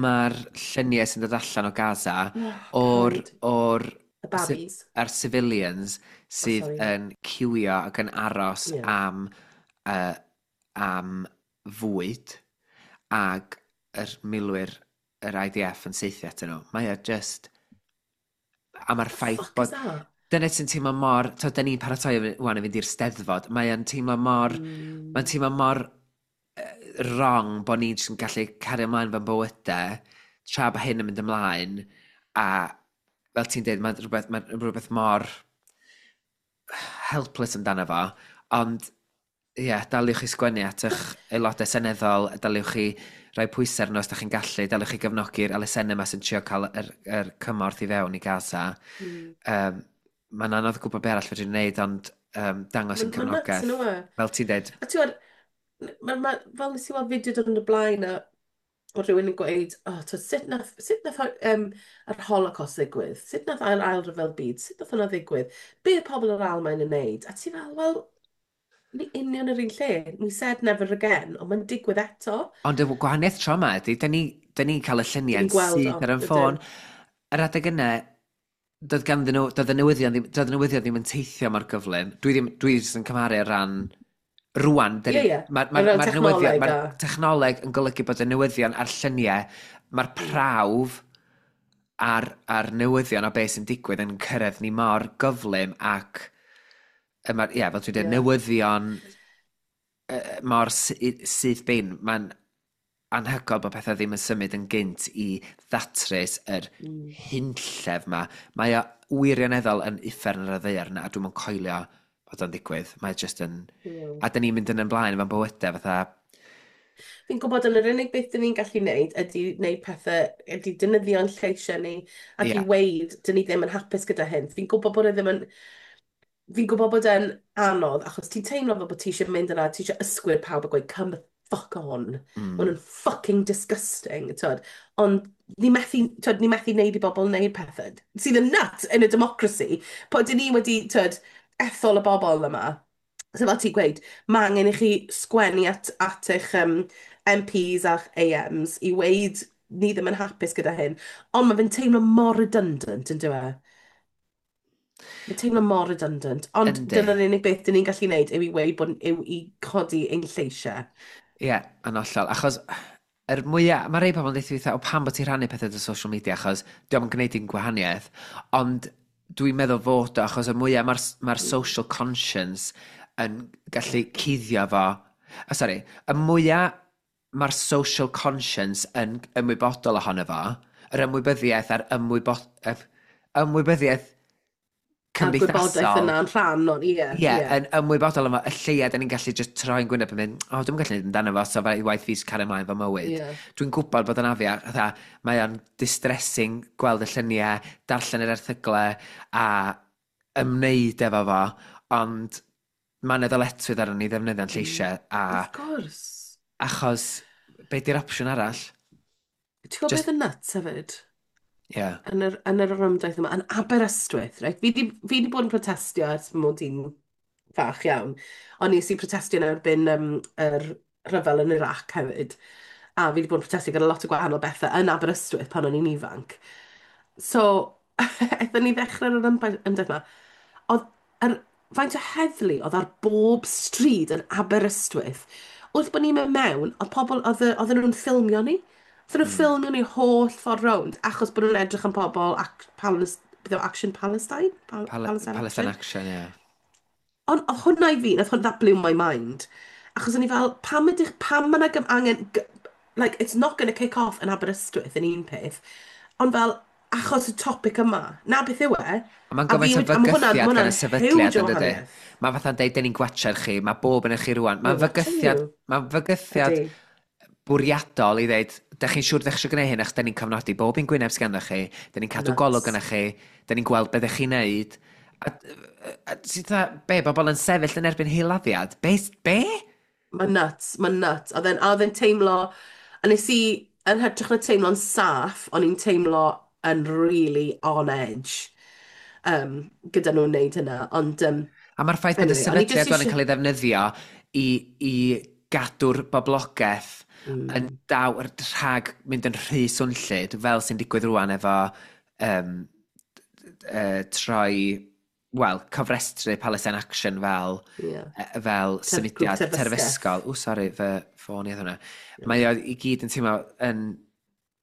ma lluniau sy'n dod allan o Gaza Oh, o'r, paid. o'r Y babis. a'r civilians sydd Sorry. yn ciwio ac yn aros am fwyd ac yr milwyr yr IDF yn saethu atyn nhw. Mae o just. A mae'r The ffaith fuck is bod that? Dyna sy'n teimlo mor. To, da ni'n paratoi wan i fynd i'r Steddfod. Mae o'n teimlo mor. Mae'n teimlo mor wrong bod ni'n jyst yn gallu cario ymlaen fe'n bywydau tra bod hyn yn mynd ymlaen a fel ti'n dweud, mae'n rhywbeth mor helpless amdano fo, ond ie, yeah, daliwch i sgwennu at eich aelodau seneddol, daliwch chi rhoi pwysau arno os da chi'n gallu, daliwch chi gefnogi'r elusennau yma sy'n trio cael yr cymorth i fewn i Gaza. Mae'n anodd gwybod be arall fedrwn ni wneud, ond dangos yn Mae'n nuts cefnogaeth. yn yw e? Fel ti'n dweud, A ti'n gwybod, fel nes i weld fideo dod yn y blaen a o rhywun yn gweud, "Oh, to, sut nath yr Holocaust ddigwydd? Sut nath ail ryfel byd? Sut nath hwnna ddigwydd? Be oedd pobl yr Almaen yn neud?" A ti fel, wel, ni union yr un lle. We said never again, ond mae'n digwydd eto. Ond y gwahaniaeth tro yma ydy, da ni'n cael y Dyn lluniau'n ni'n gweld syth o, ar ein ydyn. ffôn. Yr adeg yna, doedd ganddyn nhw, doedd y newyddion ddim yn teithio mor gyflym. Dwi ddim, dwi jyst yn cymharu ar ran rwan. Ie. Mae'r O ran ma newyddion, technoleg mae'r technoleg yn golygu bod y newyddion a'r lluniau, mae'r prawf a'r newyddion o beth sy'n digwydd yn cyrraedd ni mor gyflym ac ie, fel dwi'n dweud, newyddion mor syth bin, mae'n anhygoel bod pethau ddim yn symud yn gynt i ddatrys yr hunllef ma. Mae o wirioneddol yn uffern ar y ddaear yna, a dwi'm yn coelio bod o'n digwydd. Mae just yn. A dyn ni'n mynd yn ymlaen efo'n bywydau fatha. Fi'n gwybod yn yr unig beth dyn ni'n gallu wneud ydy wneud pethau, ydy defnyddio'n lleisiau ni ac i weud dyn ni ddim yn hapus gyda hyn. Fi'n gwybod bod e ddim yn... Fi'n gwybod bod e'n anodd achos ti'n teimlo fel bod ti eisiau mynd yna, ti eisiau ysgwyd pawb a gweud, "Come the fuck on." Maen nhw'n fucking disgusting, twyd. Ond ni methu, twyd, ni methu wneud i bobl wneud pethau sydd yn nuts in a democracy. Po dyn ni wedi, twyd, ethol y bobl yma. So fel ti'n gweud, mae angen i chi sgwennu at eich MPs a'ch AMs i weud ni ddim yn hapus gyda hyn. Ond mae fe'n teimlo mor redundant, yn dyw e? Mae'n teimlo mor redundant. Ond dyna'r unig beth dyn ni'n gallu gwneud yw i weud bod yw i codi ein lleisiau. Ie, yeah, yn hollol. Achos yr mwyaf, mae rei pobl yn deud o pam bod ti'n rhannu pethau dy social media, achos dio'm yn gwneud dim gwahaniaeth. Ond dwi'n meddwl fod o, achos y mwyaf mae'r ma social conscience yn gallu cuddio fo. Oh, sorry, y mwyaf mae'r social conscience yn ymwybodol ohono fo, yr ymwybyddiaeth a'r ymwybyddiaeth A'r gwybodaeth cymdeithasol. yna'n rhan o'n, ie. Ie, yn ymwybodol yma, y lleia, da ni'n gallu just troi'n gwyneb yn mynd, "O, dwi'n gallu neud amdano fo, so fe waith fi cario ymlaen fy mywyd." Dwi'n gwybod bod yn afiach, fatha, mae o'n distressing gweld y lluniau, darllen yr erthyglau a ymwneud efo fo, ond mae yna ddyletswydd arno ni ddefnyddio'n lleisiau, a Of course. achos, be di'r opsiwn arall? Ti'n gwybod Just, beth yn nuts hefyd? yeah. Yn yr orymdaith yma, yn Aberystwyth, right? Fi di bod yn protestio ers mod i'n fach iawn. Ond nes i protestio yn erbyn yr rhyfel yn Iraq hefyd. A fi wedi bod yn protestio gyda lot o gwahanol bethau yn Aberystwyth pan o'n i'n ifanc. So, aethon ni ddechrau'r ymdaith yma. Oedd yr faint o heddlu oedd ar bob stryd yn Aberystwyth. Wrth bod ni'n mynd mewn, oedd pobl, oedden nhw'n ffilmio ni. Oedden nhw'n ffilmio ni holl ffordd rownd, achos bod nhw'n edrych am pobl ac beth yw Action Palestine? Palestine Palestine Action? Action, ie. Yeah. Ond oedd hwnna i fi, nath hwn, that blew my mind. Achos o'n i fel, pam mae yna angen, like, it's not going to kick off yn Aberystwyth yn un peth, ond fel, achos y topic yma, na beth yw e, A mae'n a fi gymaint o a ma' hwnna'n fygythiad ma' gan y hwnna'n sefydliad huge o yn dydy. wahaniaeth. Mae fatha'n deud, dyn ni'n gwatcher chi, mae bob yn eich chi rwan. We're Mae'n watching fygythiad, you. mae'n fygythiad Ydy. bwriadol i ddeud, dych chi'n siŵr dych chi eisiau gwneud hyn, achos dyn ni'n cofnodi bob un gwyneb sganddo chi, dyn ni'n cadw golwg Nuts. yna chi, dyn ni'n gweld beth ych chi'n neud. A ti'n dda, be, bobl yn sefyll yn erbyn hil-laddiad? Be? Be? Mae'n nuts, mae'n nuts. Oedd e'n teimlo, a nes i, yn hytrach na teimlo'n saff, o'n i'n teimlo yn really on edge gyda nhw'n neud hynna. Ond, A mae'r ffaith bod y anyway, o'n i jyst sefydliad rwan yn eisiau. cael ei ddefnyddio i gadw'r boblogaeth yn daw rhag mynd yn rhy swnllyd, fel sy'n digwydd rwan efo troi, wel, cofrestru Palestine Action fel, fel Grŵp symudiad terfysgaeth. terfysgol. O, sori, fy ffôn i oedd hwnna. Mae o i gyd yn teimlo yn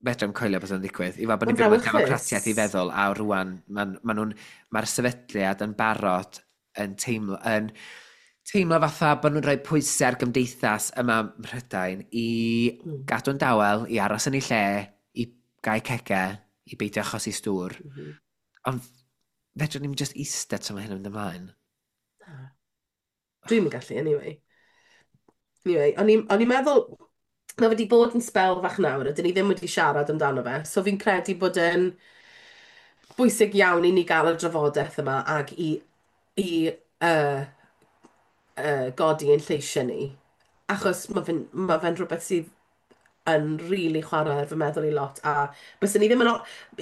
fedrai'm coelio bod o'n digwydd. I fel bod ni'n Mae'n byw mewn brawychus. democratiaeth i feddwl, a rwan, mae'r sefydliad yn barod yn teimlo fatha bod nhw'n rhoi pwysau ar gymdeithas yma ym Mhrydain i gadw'n dawel, i aros yn ei lle, i gau cege, i beidio achosi stŵr. Ond fedrwn ni'n just eistedd tra mae hyn yn mynd ymlaen. Dwi'm yn gallu, anyway. Anyway, o'n i'n meddwl, mae wedi bod yn sbel fach nawr, a dyn ni ddim wedi siarad amdano fe, so fi'n credu bod yn bwysig iawn i ni gael y drafodaeth yma ac i godi ein lleisiau ni. Achos ma fe'n rhywbeth sydd yn really chwarae ar fy meddwl i lot. A byswn ni ddim yn...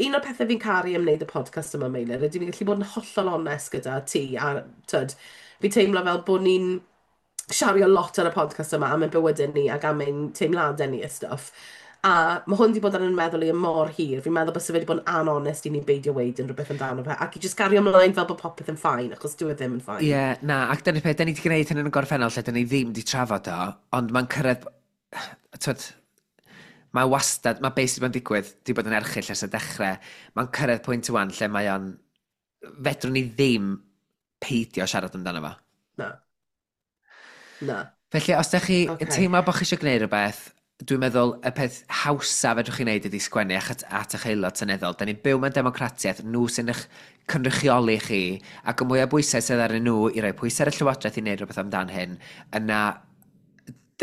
Un o'r pethau fi'n caru am wneud y podcast yma, Meilir, ydy ni'n gallu bod yn hollol onest gyda ti. A tyd, fi teimlo fel bod ni'n siario lot ar y podcast yma am ein bywydau ni ac am ein teimladau ni a stuff. A mae hwn wedi bod ar yn meddwl i am mor hir. Fi'n meddwl byse fe wedi bod yn anonest i ni beidio weud unrhyw beth amdano fe. Ac i just gario ymlaen fel bod popeth yn fine, achos dyw e ddim yn fine. Ie, yeah, na, ac dyna'r peth, da ni wedi gwneud hyn yn y gorffennol lle da ni ddim wedi trafod o, ond mae'n cyrraedd, twyd, mae wastad, mae beth sydd wedi digwydd, wedi bod yn erchyll ers y dechrau, mae'n cyrraedd pwynt wan lle mae o'n, fedrwn ni ddim peidio siarad amdano fo. Na. Na. Felly, os ydych chi yn teimlo bod chi eisiau gwneud rhywbeth, dwi'n meddwl y peth hawsa fedrwch chi wneud ydy sgwennu at eich aelod seneddol. Da ni'n byw mewn democratiaeth, nhw sy'n eich cynrychioli chi, ac y mwyaf bwysau sydd arnyn nhw i roi pwysau ar y llywodraeth i wneud rhywbeth amdan hyn, yna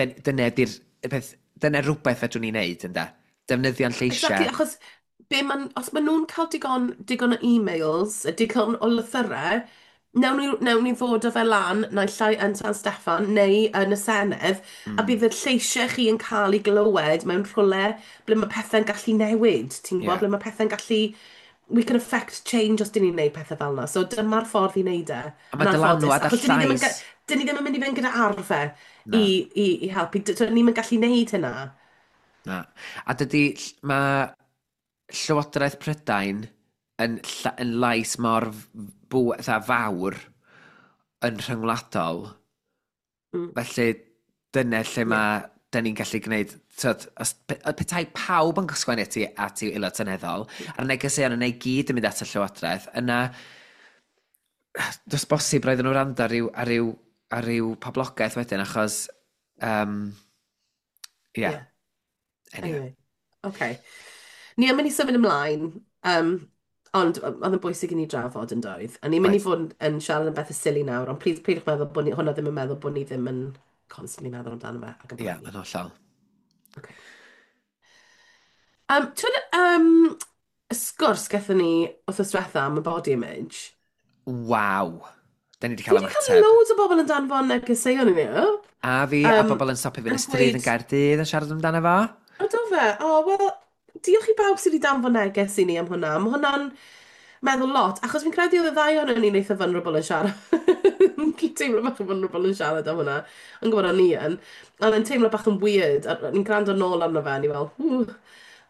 dyna ydi'r y peth, dyna rhywbeth fedrwn ni wneud, ynde? Defnyddio'n lleisiau. Exactly, achos os maen nhw'n cael digon o e-mails, digon o lythyrau, newn ni ddod â fe lan, naill ai yn San Steffan neu yn y Senedd, a bydd y lleisiau chi yn cael ei glywed mewn rhywle ble mae pethau'n gallu newid. Ti'n gwybod, ble mae pethau'n gallu. We can affect change os dyn ni'n neud pethau fel yna. So dyma'r ffordd i wneud e. A mae Yn anffodus, dylanwad a achos dyn ni ddim yn llais. Dyn ni ddim yn mynd i fynd gyda arfau Na. i helpu. Dyn ni'n gallu neud hynna. Na. A dydy, mae Llywodraeth Prydain yn lais mor fatha fawr yn rhyngwladol. Felly dyna lle mae dyn ni'n gallu gwneud, tyd, os, petai pawb yn sgwennu at i aelod seneddol, a'r negeseuon yna i gyd yn mynd at y Llywodraeth, yna does bosib roedden nhw wrando ar ryw poblogaeth wedyn, achos, yeah. Anyway. Anyway. Okay. Ni yn mynd i symud ymlaen, ond oedd yn bwysig i ni drafod yn doedd. A ni'n mynd i fod yn siarad am bethau silly nawr, ond please peidiwch meddwl bod ni, hwnna ddim yn meddwl bod ni ddim yn constantly meddwl amdano fe ac yn Ie, poeni. yn hollol. Okay. Ti'n y sgwrs gathon ni wythnos diwetha am y body image? Waw. Da ni wedi Fi cael wedi cael ymateb. loads o bobl yn danfon negeseuon i ni. A fi, a bobl yn stopio fi yn y yn stryd yn gweud- Gaerdydd yn siarad amdano fo. O, do fe? O, wel, Diolch i bawb sydd wedi danfon neges i ni am hwnna. Mae hwnna'n meddwl lot, achos fi'n credu oedd y ddau ohonon ni'n eitha vulnerable yn siarad. Teimlo bach yn vulnerable yn siarad am hwnna. Yn gwybod o'n i yn. Ond yn teimlo bach yn weird. A ni'n gwrando nôl arno fe, a ni fel, "Ww,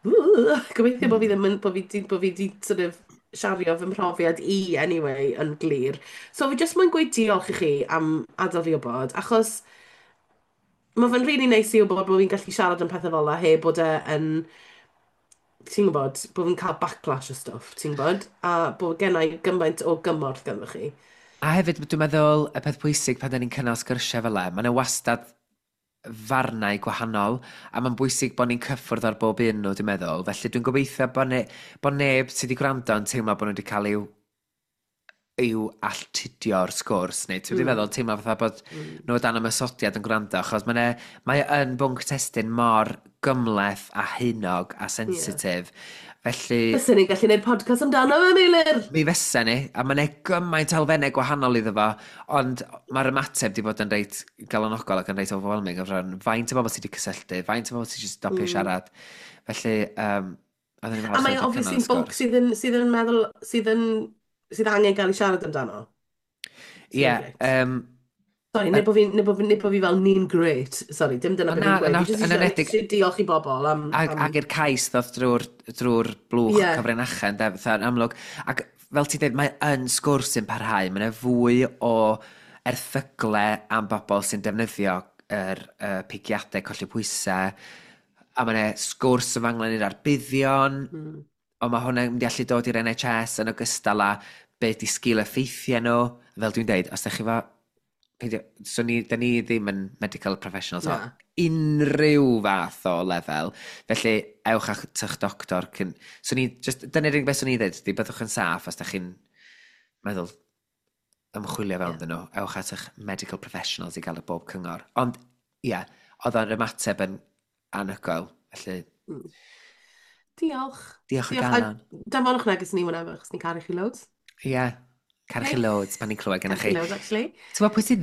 ww." Gobeithio bod fi ddim yn, bod fi di sort of siario fy mhrofiad i anyway yn glir. So fi jyst moyn gweud diolch i chi am adael fi wybod, achos mae fe'n really neis i wybod bod fi'n gallu siarad am pethau fel 'na heb bod e yn, ti'n gwybod, bod fi'n cael backlash o stwff, ti'n gwybod? A bod gen i gymaint o gymorth ganddo chi. A hefyd, dwi'n meddwl, y peth pwysig pan da ni'n cynnal sgyrsiau fel 'na, mae yna wastad farnau gwahanol, a mae'n bwysig bod ni'n cyffwrdd ar bob un nhw, dwi'n meddwl. Felly dwi'n gobeithio bod neb sydd wedi gwrando yn teimlo bod nhw wedi cael i'w alltudio'r sgwrs, neu ti'n meddwl, teimlo fatha bod nhw dan ymosodiad yn gwrando, achos mae yn bwnc testun mor gymhleth a haenog a sensitif. Felly Bysen ni'n gallu gwneud podcast amdano fe, Meilir! Mi fysa ni, a mae'n gymaint o elfennau gwahanol iddo fo, ond mae'r ymateb wedi bod yn reit galonogol ac yn reit overwhelming o ran faint o bobl sydd wedi cysylltu, faint o bobl sydd wedi stopio siarad. Felly, oedden ni'n A falch mae o wedi obviously cynnal y yn bwnc sgwrs. sydd yn meddwl, sydd angen gael ei siarad amdano. Ie, Sy'n grêt. Sorry, nid bod fi fel ni'n great. Sorry, dim dyna Ond beth na, fi'n gweud. Fi jyst yn eisiau enwedig eisiau diolch i bobl am Ag, am ag i'r cais ddoth drwy'r blwch cyfrinachau, ynde, fatha yn amlwg. Ac fel ti'n dweud, mae yn sgwrs sy'n parhau. Mae yna fwy o erthygle am bobl sy'n defnyddio yr pigiadau colli pwysau. A mae yna sgwrs yn fanglan i'r arbuddion. Ond mae hwnna'n mynd i allu dod i'r NHS yn ogystal â be di sgil effeithiau nhw. Fel dwi'n deud, os ydych chi fo... Peidio, so ni, da ni ddim yn medical professionals o Na. unrhyw fath o lefel. Felly, ewch at eich doctor. Cyn... So ni, just, dyna'r unig beth swn i'n dweud, ydy byddwch yn saff os da chi'n meddwl ymchwilio fewn iddyn nhw. Ewch at eich medical professionals i gael y bob cyngor. Ond, ie, yeah, oedd o'n ymateb yn anhygoel. Felly, Diolch. Diolch o Diolch. galon. A danfonwch neges ni whenever, achos ni'n caru chi loads. Ie, yeah, caru chi Okay. loads pan ni'n clywed gennych Caru chi. chi loads, actually. Ti'n gwybod pwy sydd...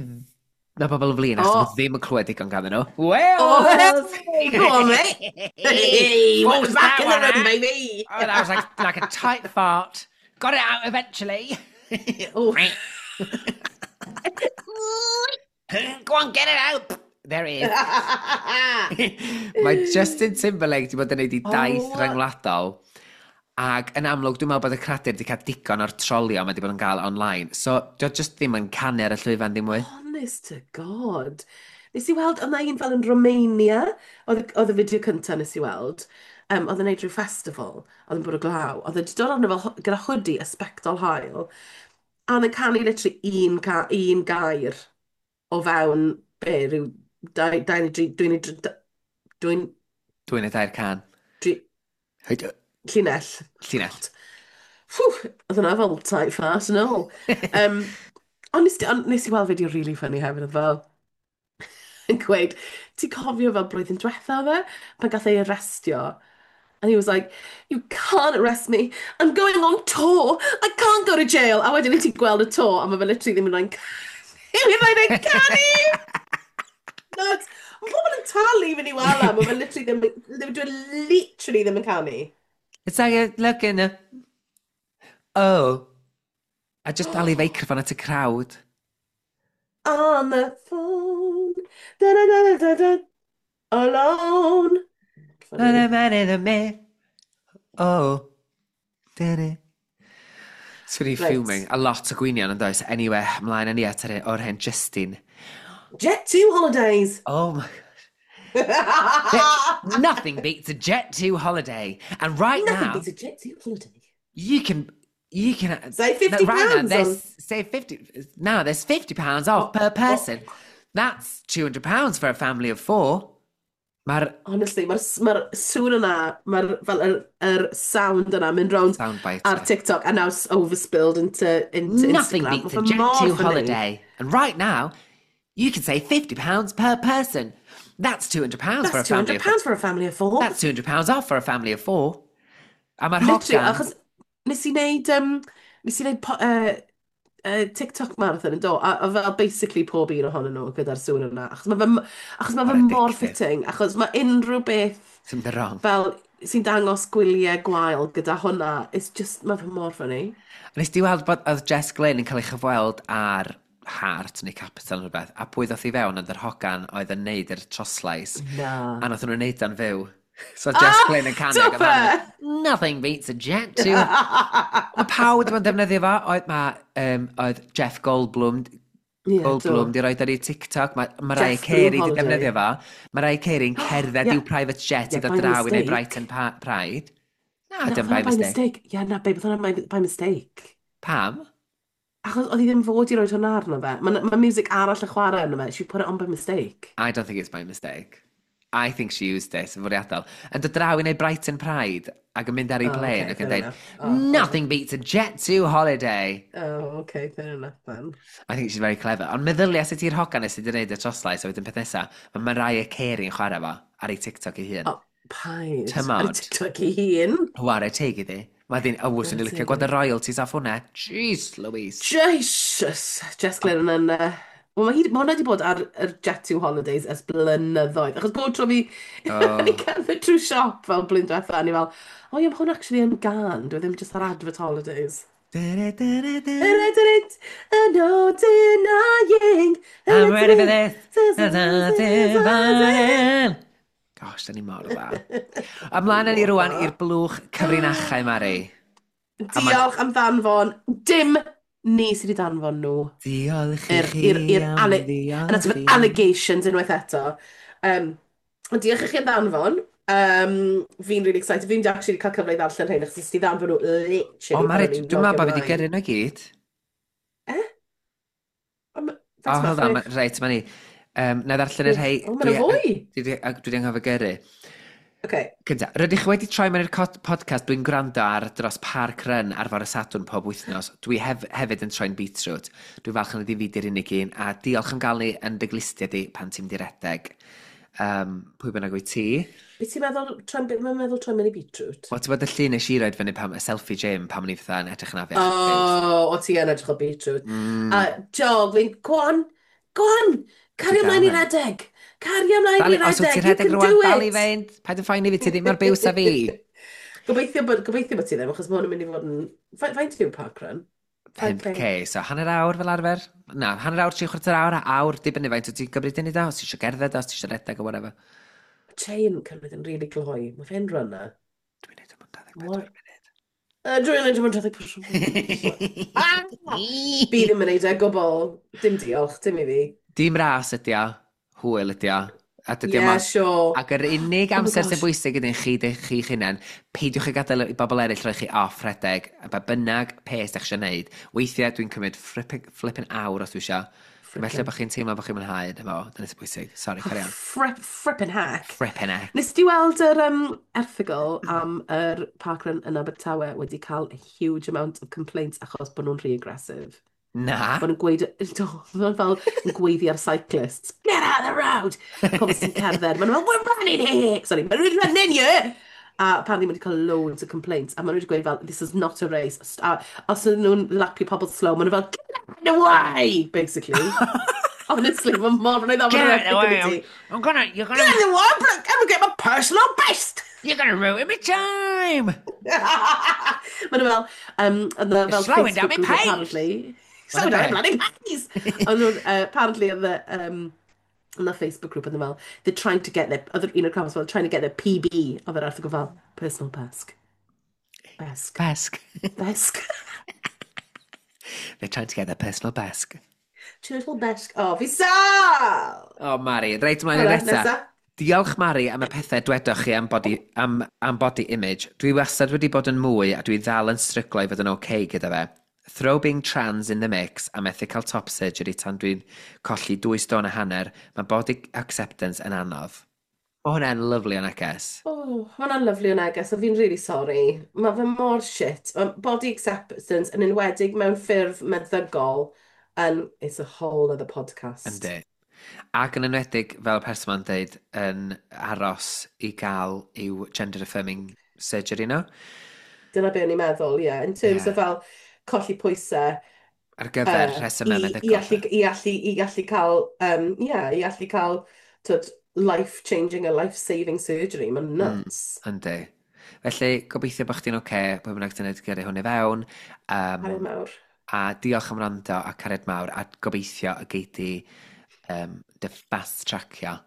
Mae bobl yn flin achos Oh. oh. ddim yn clywed digon ganddyn nhw. Oh, Wales! hey, go on, mate! Hey, What was back that in the one, room, eh? baby! Oh, that was like a tight fart. Got it out eventually. Oh. Go on, get it out. There it is. Mae Justin Timberlake wedi bod yn neud i daith rhyngwladol. Ac yn amlwg, dwi'n meddwl bod y cradur wedi cael digon o'r trolio mae wedi bod yn gael online. So, dio just ddim yn canu ar y llwyfan ddim mwy. Honest to God. Nes i weld, oedd 'na un fel yn Romania, oedd y fideo cyntaf nes i weld, oedd yn neud rhyw festival, oedd yn bwrw glaw, oedd e wedi dod arno fel gyda hoodie a sbectol haul, a oedd yn canu literally un gair o fewn, be, rhyw dau, dau neu dri, dwy neu dri, dwi'n 2 neu dair can. Dri, Hyd- llinell. Llinell. God. Ffw, oedd hwnna fel tight fart yn ôl. Ond nes i weld fideo really funny hefyd, oedd fel yn gweud, ti'n cofio fel blwyddyn diwetha fe, pan gath ei arrestio? And he was like, "You can't arrest me. I'm going on tour. I can't go to jail." A wedyn i ti'n gweld y tour, a mae fe literally ddim yn canu! Nuts. Mae pobl yn talu i fynd i weld e, mae fe literally ddim, dwi'n literally ddim yn canu. It's like a look in a... Oh. A just dal i feicroffon at y crowd. On the phone. Da da da da da da. Alone. Na Funny. na na na me. Oh. Da-da. Swn i fuming. A lot o gwynion yn does. Anyway, ymlaen â ni at yr o'r hen Justin. Jet 2 holidays. Oh my gosh. Nothing beats a Jet 2 holiday. And right Nothing now, beats a Jet 2 holiday. you can Save 50 no, right now, pounds there's save 50 now there's £50 off per person. That's £200 for a family of four. Mae'r Honestly, mae'r ma sŵn yna, mae'r fel yr sound yna mynd rownd soundbite. ar TikTok and now it's overspilled into Nothing Instagram. beats Ma' a fe Jet mor 2 funny. holiday. And right now, you can save £50 per person. That's £200 for a That's family £200 of four. for a family of four. That's £200 off for a family of four. A mae'r Literally, hogan achos nes i wneud TikTok marathon yn do, a fel basically pob un ohonyn nhw gyda'r sŵn yna. Achos mae fe mor Mor addictive. fitting, achos mae unrhyw beth Sy'n mynd yn wrong. fel, sy'n dangos gwyliau gwael gyda hwnna, it's just, mae fe mor funny. Nes di weld bod oedd Jess Glynne yn cael ei chyfweld ar Heart neu Capital neu rhywbeth, a pwy ddoth i fewn ond yr hogan oedd yn neud yr troslais, Na. a nath nhw'n neud o'n fyw. So Jess Ah, Glynne yn canu do ac oedd hon yn fe? mynd, "Nothing beats a jet to." Mae pawb wedi bod yn defnyddio fo. Oedd, ma, oedd Jeff Goldblum, Ie, Goldblum do. di roed ar ei TikTok. Mae Mariah Jeff Blue Carey di Holiday. defnyddio fo. Mariah Carey'n cerdded i'w private jet i Yeah, ddod by draw i wneud mistake. Brighton Pride. Na, Na, dim by by mistake. mistake. Ie, na, babe, oedd hwnna by mistake. Pam? Achos oedd hi ddim fod i roed hwnna arno fe. Mae ma music arall yn chwarae arno fe. She put it on by mistake. I don't think it's by mistake. I think she used it yn fwriadol. Yn dod draw i wneud Brighton Pride ac yn mynd ar ei Oh, plane okay, ac yn fair dweud, enough. Oh, "Nothing beats a Jet2 holiday." Oh, okay, fair enough then. I think she's very clever. Ond meddylia sut i'r hogan nes sydd wedi gwneud y troslais a wedyn peth nesa, mae Mariah Carey yn chwarae fo ar ei TikTok ei hun. Oh, paid. Tymod. Ar ei TikTok ei hun. Whare teg iddi. Mae ddi'n, o, swn i'n Chwarae licio teg gweld y iddi. royalties off hwnna. Jeez Louise. Jesus! Jess Glynne yn... Wel, mae hwnna wedi bod ar yr Jet2 Holidays ers blynyddoedd. Achos bob tro fi oh. cerdded trwy siop fel blwyddyn diwetha, a ni fel, "Oh ie, mae hwn actually yn gân, dwi ddim just ar advert holidays." Da-da-da-da-da. No denying. I'm ready for this. Da-da-da-da. Gosh, da ni mor dda. Ymlaen â ni rwan i'r blwch cyfrinachau, Mari. Diolch am ddanfon. Dim ni sydd wedi danfon nhw. Diolch i chi I'r am Yna ddiolch ti'n i. allegations unwaith eto. Ond diolch i chi am ddanfon. Fi'n really excited. Fi'n actually cael cyfle i ddarllen rhain, achos nes ti ddanfon nhw literally O, Mari, pan o'n i'n dwi'n meddwl logio bod fi wedi ymlaen. gyrru nhw i gyd. Eh? Ond O, faint ma' hold on, 6? reit, ma ni. Na i ddarllen y rhai. O, ma' 'na fwy. Dwi wedi anghofio gyrru. Okay. Cynta, rydych wedi troi mewn i'r podcast dwi'n gwrando ar dros Park Run ar fore Sadwrn pob wythnos. Dwi hefyd yn troi'n beetroot. Dwi'n falch yn ydi fi di'r unig un, a diolch am gael ni yn dy glustiau di pan ti'n mynd i redeg. Pwy bynnag wyt ti? Be ti'n meddwl, mae'n meddwl troi mewn i beetroot? Wel, ti'n bod y llun nes i roed fyny pam, y selfie gym pam o'n i fatha yn edrych yn afiach. Oh, o ti yn edrych o beetroot. A jog, fi'n, go on, go on, cario Ti ymlaen i dal yn. redeg. Cario ymlaen i Dal, os wyt redeg, ti'n you rhedeg can rwan, do dal i it. fynd. Paid yn phoeni fi, ti ddim mor biws a fi. Gobeithio bod ti ddim, achos mae hwn yn mynd i fod yn... Faint yw park run? 5K. 5K, so hanner awr fel arfer. Na, hanner awr, 3/4 awr, a awr, dibynnu faint wyt ti'n gymryd i da, os ti eisiau gerdded, os ti eisiau redeg o whatever. Chain cymryd yn really gloi. Mae fe'n runner. Dwi'n neud o mewn 24 Mor munud. Dwi'n neud o mewn 24. Ah! Fi ddim yn neud e gwbl. Dim diolch, dim i fi. Dim ras ydi o, hwyl ydi o. A dydy o Yeah, sure. Ac yr unig Oh my amser sy'n gosh. bwysig ydyn chi, chi'ch hunain, peidiwch â gadael i bobl eraill rhoi chi off rhedeg, a ba bynnag peth ydych chi eisiau gwneud. Weithiau dwi'n cymryd flipping awr os dwi eisiau. Felly bod chi'n teimlo bod chi'n mwynhau, dyma fo, dyna sy'n bwysig. Sorry, carry on. Frippin' heck. Frippin' heck. Nes ti weld yr erthygl am yr parkrun yn Abertawe wedi cael a huge amount of complaints achos bod nhw'n rhy aggressive? Na. Bod nhw'n gweud, do, maen nhw fel yn gweiddi ar cyclists. "Get out of the road!" Pobl sy'n cerdded. Maen nhw fel, "We're running here! Sorry, we're running here!" A apparently maen nhw wedi cael loads of complaints. A maen nhw wedi gweud fel, "This is not a race." A os ydyn nhw'n lapio pobl slow, maen nhw fel, "Get out of the way!" Basically. Honestly, mae'n mor... Mae'n Get out of the way! I'm, I'm gonna, you're "Get gonna, out of the way! I'm gonna get my personal best!" You're gonna ruin my time! Maen nhw fel, and the, fel Slowing down Facebook my group pace. apparently. Slow down bloody pace! Ond nhw'n, apparently, oedd y, yn the Facebook group, oedd nhw fel, they're trying to get their, oedd un o'r comments fel, "trying to get their PB," oedd yr erthygl fel, personal besk. Besk. Besk. Besk. They're trying to get their personal besk. Turtle besk. Oh, fi sal! Oh, Mari, reit ymlaen i'r Alright, nesa. nesa. Diolch, Mari, am y pethau dwedoch chi am body image. Dwi wastad wedi bod yn mwy a dwi ddal yn stryglo i fod yn okay gyda fe. Throw being trans in the mix a methu cael top surgery tan dwi'n colli 2.5 stôn, mae body acceptance yn anodd. Mae hwnna'n lyfli o neges. Oh, mae hwnna'n lyfli o neges, a fi'n really sorry. Mae fe mor shit. Ma body acceptance yn enwedig mewn ffurf meddygol yn, it's a whole other podcast. Yndi. Ac yn enwedig, fel y person ma'n dweud, yn aros i gael i'w gender affirming surgery nhw. Dyna be o'n i'n meddwl, ie. Yeah. In terms of fel colli pwysau, Ar gyfer rhesymau i meddygol. i allu cael, yeah, i allu cael, twyd, life-changing a life-saving surgery. Mae'n nuts. Yndi. Felly, gobeithio bod chdi'n oce, okay, pwy bynnag ti'n edrych gyrru hwn i fewn. Um, Cariad mawr. a diolch am wrando a cariad mawr a gobeithio y gei di dy fast tracio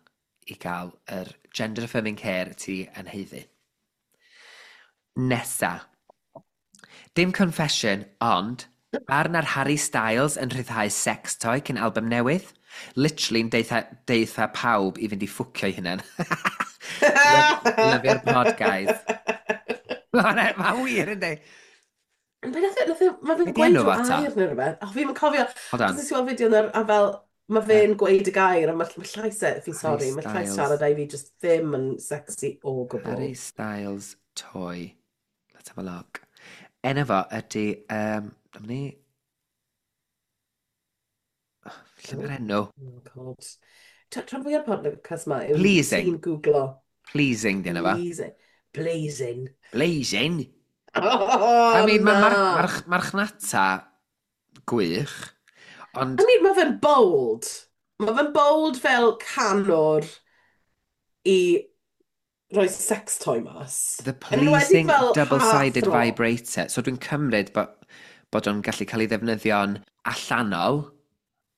i gael yr gender affirming care ti yn haeddu. Nesa. Dim confession, ond barn ar Harry Styles yn rhyddhau sex toy cyn album newydd. Literally'n deutha pawb i fynd i ffwcio ei hunan. Lyfio'r pod, guys. Mae'n ma wir, yndi? Be nath e, mae Be fe'n di gweud enw rhyw fo ta? air neu rhywbeth. O, fi'n cofio, Hold achos on. nes i weld fideo yna, a fel, mae fe'n gweud y gair, a mae llais e, fi'n Harry sori, mae llais Styles. siarad ei fi just ddim yn sexy o gwbl. Harry Styles toy. Let's have a look. Enw fo ydy... dyma ni... Lle Oh, mae'r enw? oh God. Rhan fwyaf podcast ma yw Pleasing. ti'n googlo. Pleasing, di enw fo. Pleasing. Blazing. Blazing? Oh, I mean, mae na. marchnata gwych, ond I mean, mae fe'n bold. Mae fe'n bold fel canwr i roi sex toy mas. The Yn enwedig pleasing fel double-sided heartthrob. vibrator. So dwi'n cymryd bod o'n gallu cael ei ddefnyddio'n allanol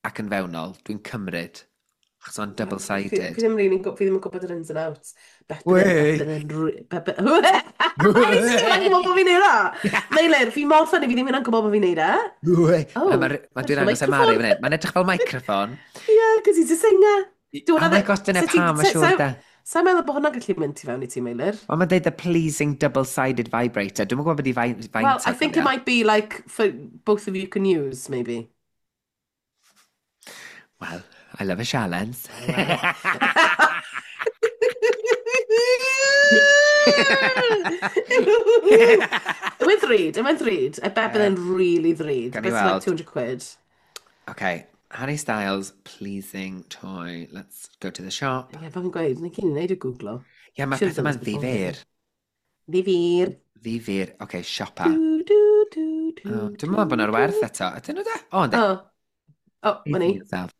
ac yn fewnol. Dwi'n cymryd. Achos o'n Fi double-sided. ddim really, fi ddim yn gwybod yr ins and outs. Bet Wey! O'n i ddim yn gwybod bod fi'n neud e. Meilir, fi mor funny, fi ddim yn gwybod bod fi'n neud e. Wey! Oh, Ma dwi'n edrych fel agos am Mari microphone. fan hyn. Mae'n edrych fel microphone. Yeah, because he's a singer. Oh my gosh, dyna pam, mae siŵr da. Sa'n meddwl bod hwnna'n gallu mynd tu fewn i ti, Meilir? Wel, mae'n deud the pleasing double-sided vibrator. Dwi'n gwybod beth i faint Well, I think it might be like for both of you can use, maybe. Well, I love a challenge. Well. It went ddrud, it went ddrud. I bet bydd e'n really ddrud. Gawn ni It's like weld. 200 quid. Okay, Harry Styles, pleasing toy. Let's go to the shop. Ie, fel fi'n gweud, ni cyn i wneud y googlo. Ie, yeah, mae Should have pethau done ma'n this before. ddifyr. Ddifyr. Ddifyr. Okay, siopa. Du, du, du, du, Oh, dwi'n meddwl bod nhw'r werth eto. Ydyn nhw da? O, yndi. Oh, oh, ma ni. Pleasing yourself.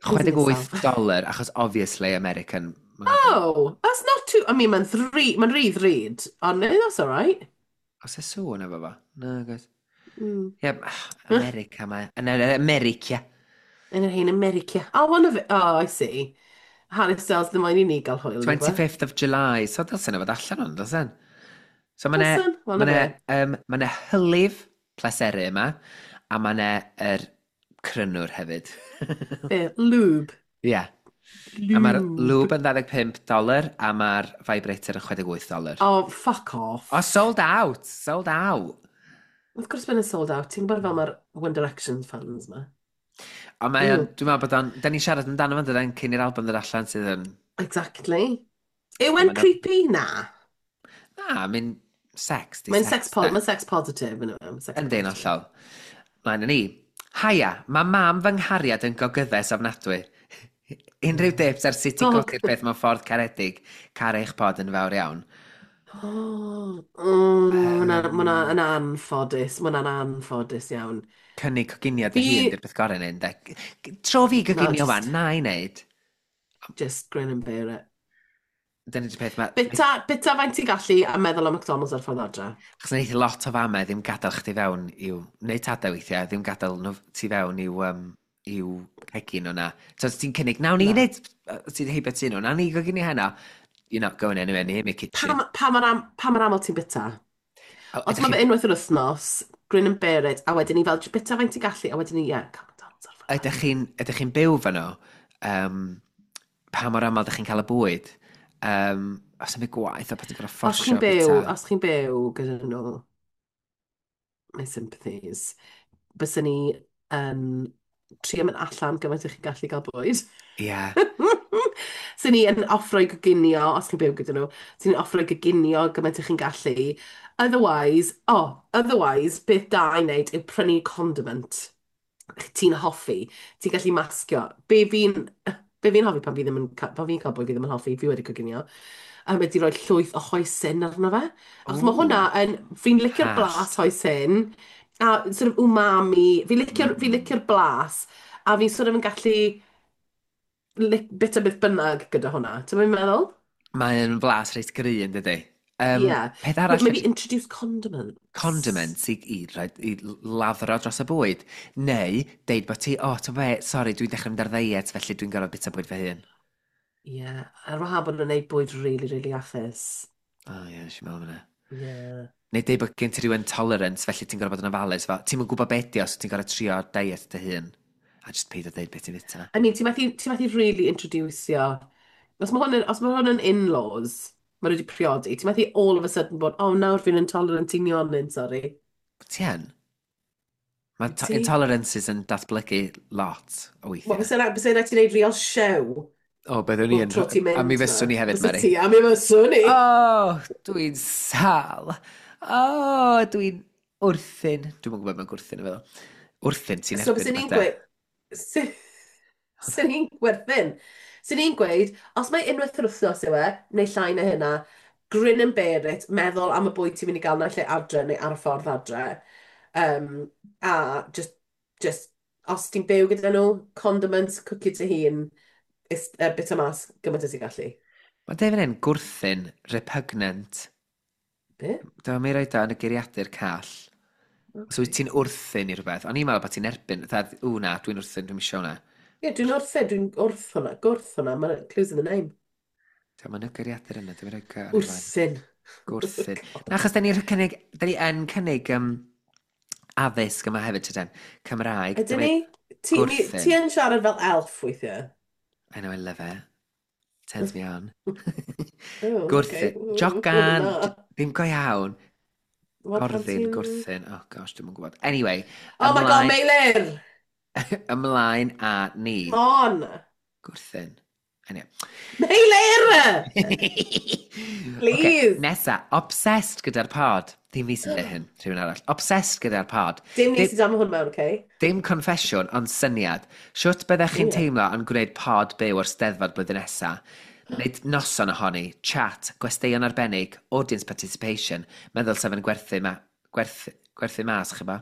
Pleasing 68 yourself. dolar, achos obviously American. Oh, that's not too... I mean, mae'n ddrud, mae'n rhy ddrud, ond no, that's all right. Oes e sŵn efo fo? Na, guys. Ie, yeah, America mae. Yn America. Yn yr hen America. Oh, one of it. Oh, I see. Harry Styles ddim moyn i ni gael hwyl. nag yw e? 25th of July. So dylsen nhw fod allan o'n, dylsen? So mae 'ne, Dylsen, wel, ma na 'ne, fe. ma 'ne hylif pleseru yma, a mae 'ne yr crynwr hefyd. Be, lube. Ie. Yeah. A mae'r Lube. lube yn 25 dolar, a mae'r vibrator yn 68 dolar. Oh, fuck off. Oh, sold out! Sold out! Of course been sold out. Ti'n gwybod fel mae'r One Direction fans ma. Ond mae o'n, Ew. dwi'n meddwl bod o'n, da ni'n siarad amdano fo'n dydyn cyn i'r album ddod allan sydd yn, Exactly. Yw e'n Ma' 'na- creepy? Na. Na, I mean, sex, di Mae'n sex, sex, po de. mae'n sex positive, yn yw. Sex Ynddi'n positive. hollol. Mlaen â ni. Haia, mae mam fy nghariad yn gogyddes ofnadwy. Unrhyw tips ar sut i Gog. godi'r peth mewn ffordd caredig, caru eich pod yn fawr iawn. Oh, oh, ma' hwnna yn anffodus. Ma' hwnna'n anffodus iawn. Cynnig coginio dy hun, di'r beth gorau neud, de. Tro fi Na, goginio wan, na i wneud. Just grin and bear it. Dyna di'r peth, ma... Bita faint ti'n gallu a meddwl am McDonald's ar ffordd adre. Achos wneith lot o famau ddim gadael chdi fewn i'w... Neu tadau weithiau, ddim gadael nhw ti fewn i'w cegin nhw na. So os ti'n cynnig, nawn ni Na. wneud, ti'n heibio ti nhw, nawn ni goginio heno. You're not going anywhere near me kitchen. Pa mor aml ti'n bita? O, Os ydych mae chi- fe unwaith yr wythnos, grin and bear it, a wedyn ni fel, bita faint ti'n gallu, a wedyn ni, ie, cael McDonald's ar ffordd adre. Ydych chi'n byw fan nhw? Pa mor aml ydych chi'n cael y bwyd? Os yw'n gwaith o beth ti'n gorfod Os fforsio chi'n byw, bita. os chi'n byw gyda nhw, my sympathies, byswn ni yn trio mynd allan gymaint ych chi'n gallu gael bwyd. Ie. Swn ni yn offro i goginio, os chi'n byw gyda nhw, swn ni'n offro i goginio gymaint ych chi'n gallu. Otherwise, oh, otherwise, beth da i wneud yw prynu condiment ti'n hoffi, ti'n gallu masgio. Be fi'n hoffi pan fi ddim yn, pan fi'n cael bwyd fi ddim yn hoffi, fi wedi coginio, a wedi rhoi llwyth o hoisin arno fe. Achos mae hwnna yn, fi'n licio'r Hallt. blas hoisin, a sort of umami, fi licio'r blas, a fi'n sort of yn gallu bit o beth bynnag gyda hwnna. Ti'n meddwl? Mae'n flas reit gry yn dydy. Yeah. Peth arall Maybe fedri introduce condiments. condiments i, i laddro dros y bwyd. Neu, deud bod ti, "O, oh, ti'n be, sori, dwi'n dechrau mynd ar ddiet, felly dwi'n gorfod bita bwyd fy hun." Yeah. Ar wahân bod nhw'n gwneud bwyd really, really iachus. O, oh, ie, yeah, nes i meddwl am hynna. Yeah. Neu deud bod gen ti rhyw intolerance, felly ti'n gorfod bod yn ofalus. Fel, ti'm yn gwybod beth di os ti'n gorfod trio diet dy hun. A just paid o deud beth ti'n fita. I mean, ti'n methu really introducio. Os mae hwn yn in-laws, maen nhw wedi priodi, ti'n methu all of a sudden bod, "Oh, nawr fi'n intolerant i nionyn, sorry." Ti yn? Mae Ti? intolerances yn datblygu lot o Wel, weithiau. byse rhaid ti wneud real show O, byddwn ni bob yn. tro ti'n A mi mynd fyswn na. ni hefyd, Byse Mary. ti, a mi fyswn i. O, oh, dwi'n sal. O, oh, dwi'n wrthyn. Dwi'n yn gwybod mewn gwrthyn yn feddwl. Wrthyn, ti'n So erbyn byse ni'n rhywbeth, de. gweud, se ni'n gwerthin. Se ni'n gweud, os mae unwaith yr wythnos yw e, neu llai na hynna, grin and bear it, meddwl am y bwyd ti'n mynd i gael naill ai adre neu ar y ffordd adre. A just, os ti'n byw gyda nhw, condiments, cwcio dy hun, bit o mas gymaint as ti'n gallu. Mae deud fan hyn, gwrthyn, repugnant. Be? Dyma mi roed o yn y geiriadur call. So wyt Okay. ti'n wrthyn i rhywbeth. O'n i'n meddwl bod ti'n erbyn. Fatha, "Ww na, dwi'n wrthyn, dwi'n isio hwnna." Ie, dwi'n wrthyn, dwi'n wrth hwnna, gwrth hwnna, mae'n clues in the name. Mae'n y geiriadur yna, dwi'n rhoi ar ei flaen. Wrthyn. Gwrthyn. God. Na, achos da ni yn cynnig addysg yma hefyd, tyden. Cymraeg. Ydyn ni? Gwrthyn. Ti yn siarad fel elf weithiau? I know, I love it. Turns me on. Oh, Gwrthyn. okay. Jogan! Na. Ddim go iawn. Wel, pan Gorddyn, ti'n gwrthyn. Oh gosh, dwi'n yn gwybod. Anyway, Oh my God, ymlaen, Meilir! ymlaen a ni. Come on! Gwrthyn. Anyway. Meilir! Okay, Please! nesa, obsessed gyda'r pod. Ddim fi sy'n dweud hyn, rhywun arall. Obsessed gyda'r pod. Dim ni Dim, sydd am hwn mewn, okay? dim confesiwn, ond syniad. Siwt byddech chi'n teimlo yn gwneud pod byw o'r Steddfod blwyddyn nesa? Wneud noson ohoni, chat, gwesteion arbennig, audience participation, meddwl sef yn gwerthu, ma, gwerthu, gwerthu mas, chi ba?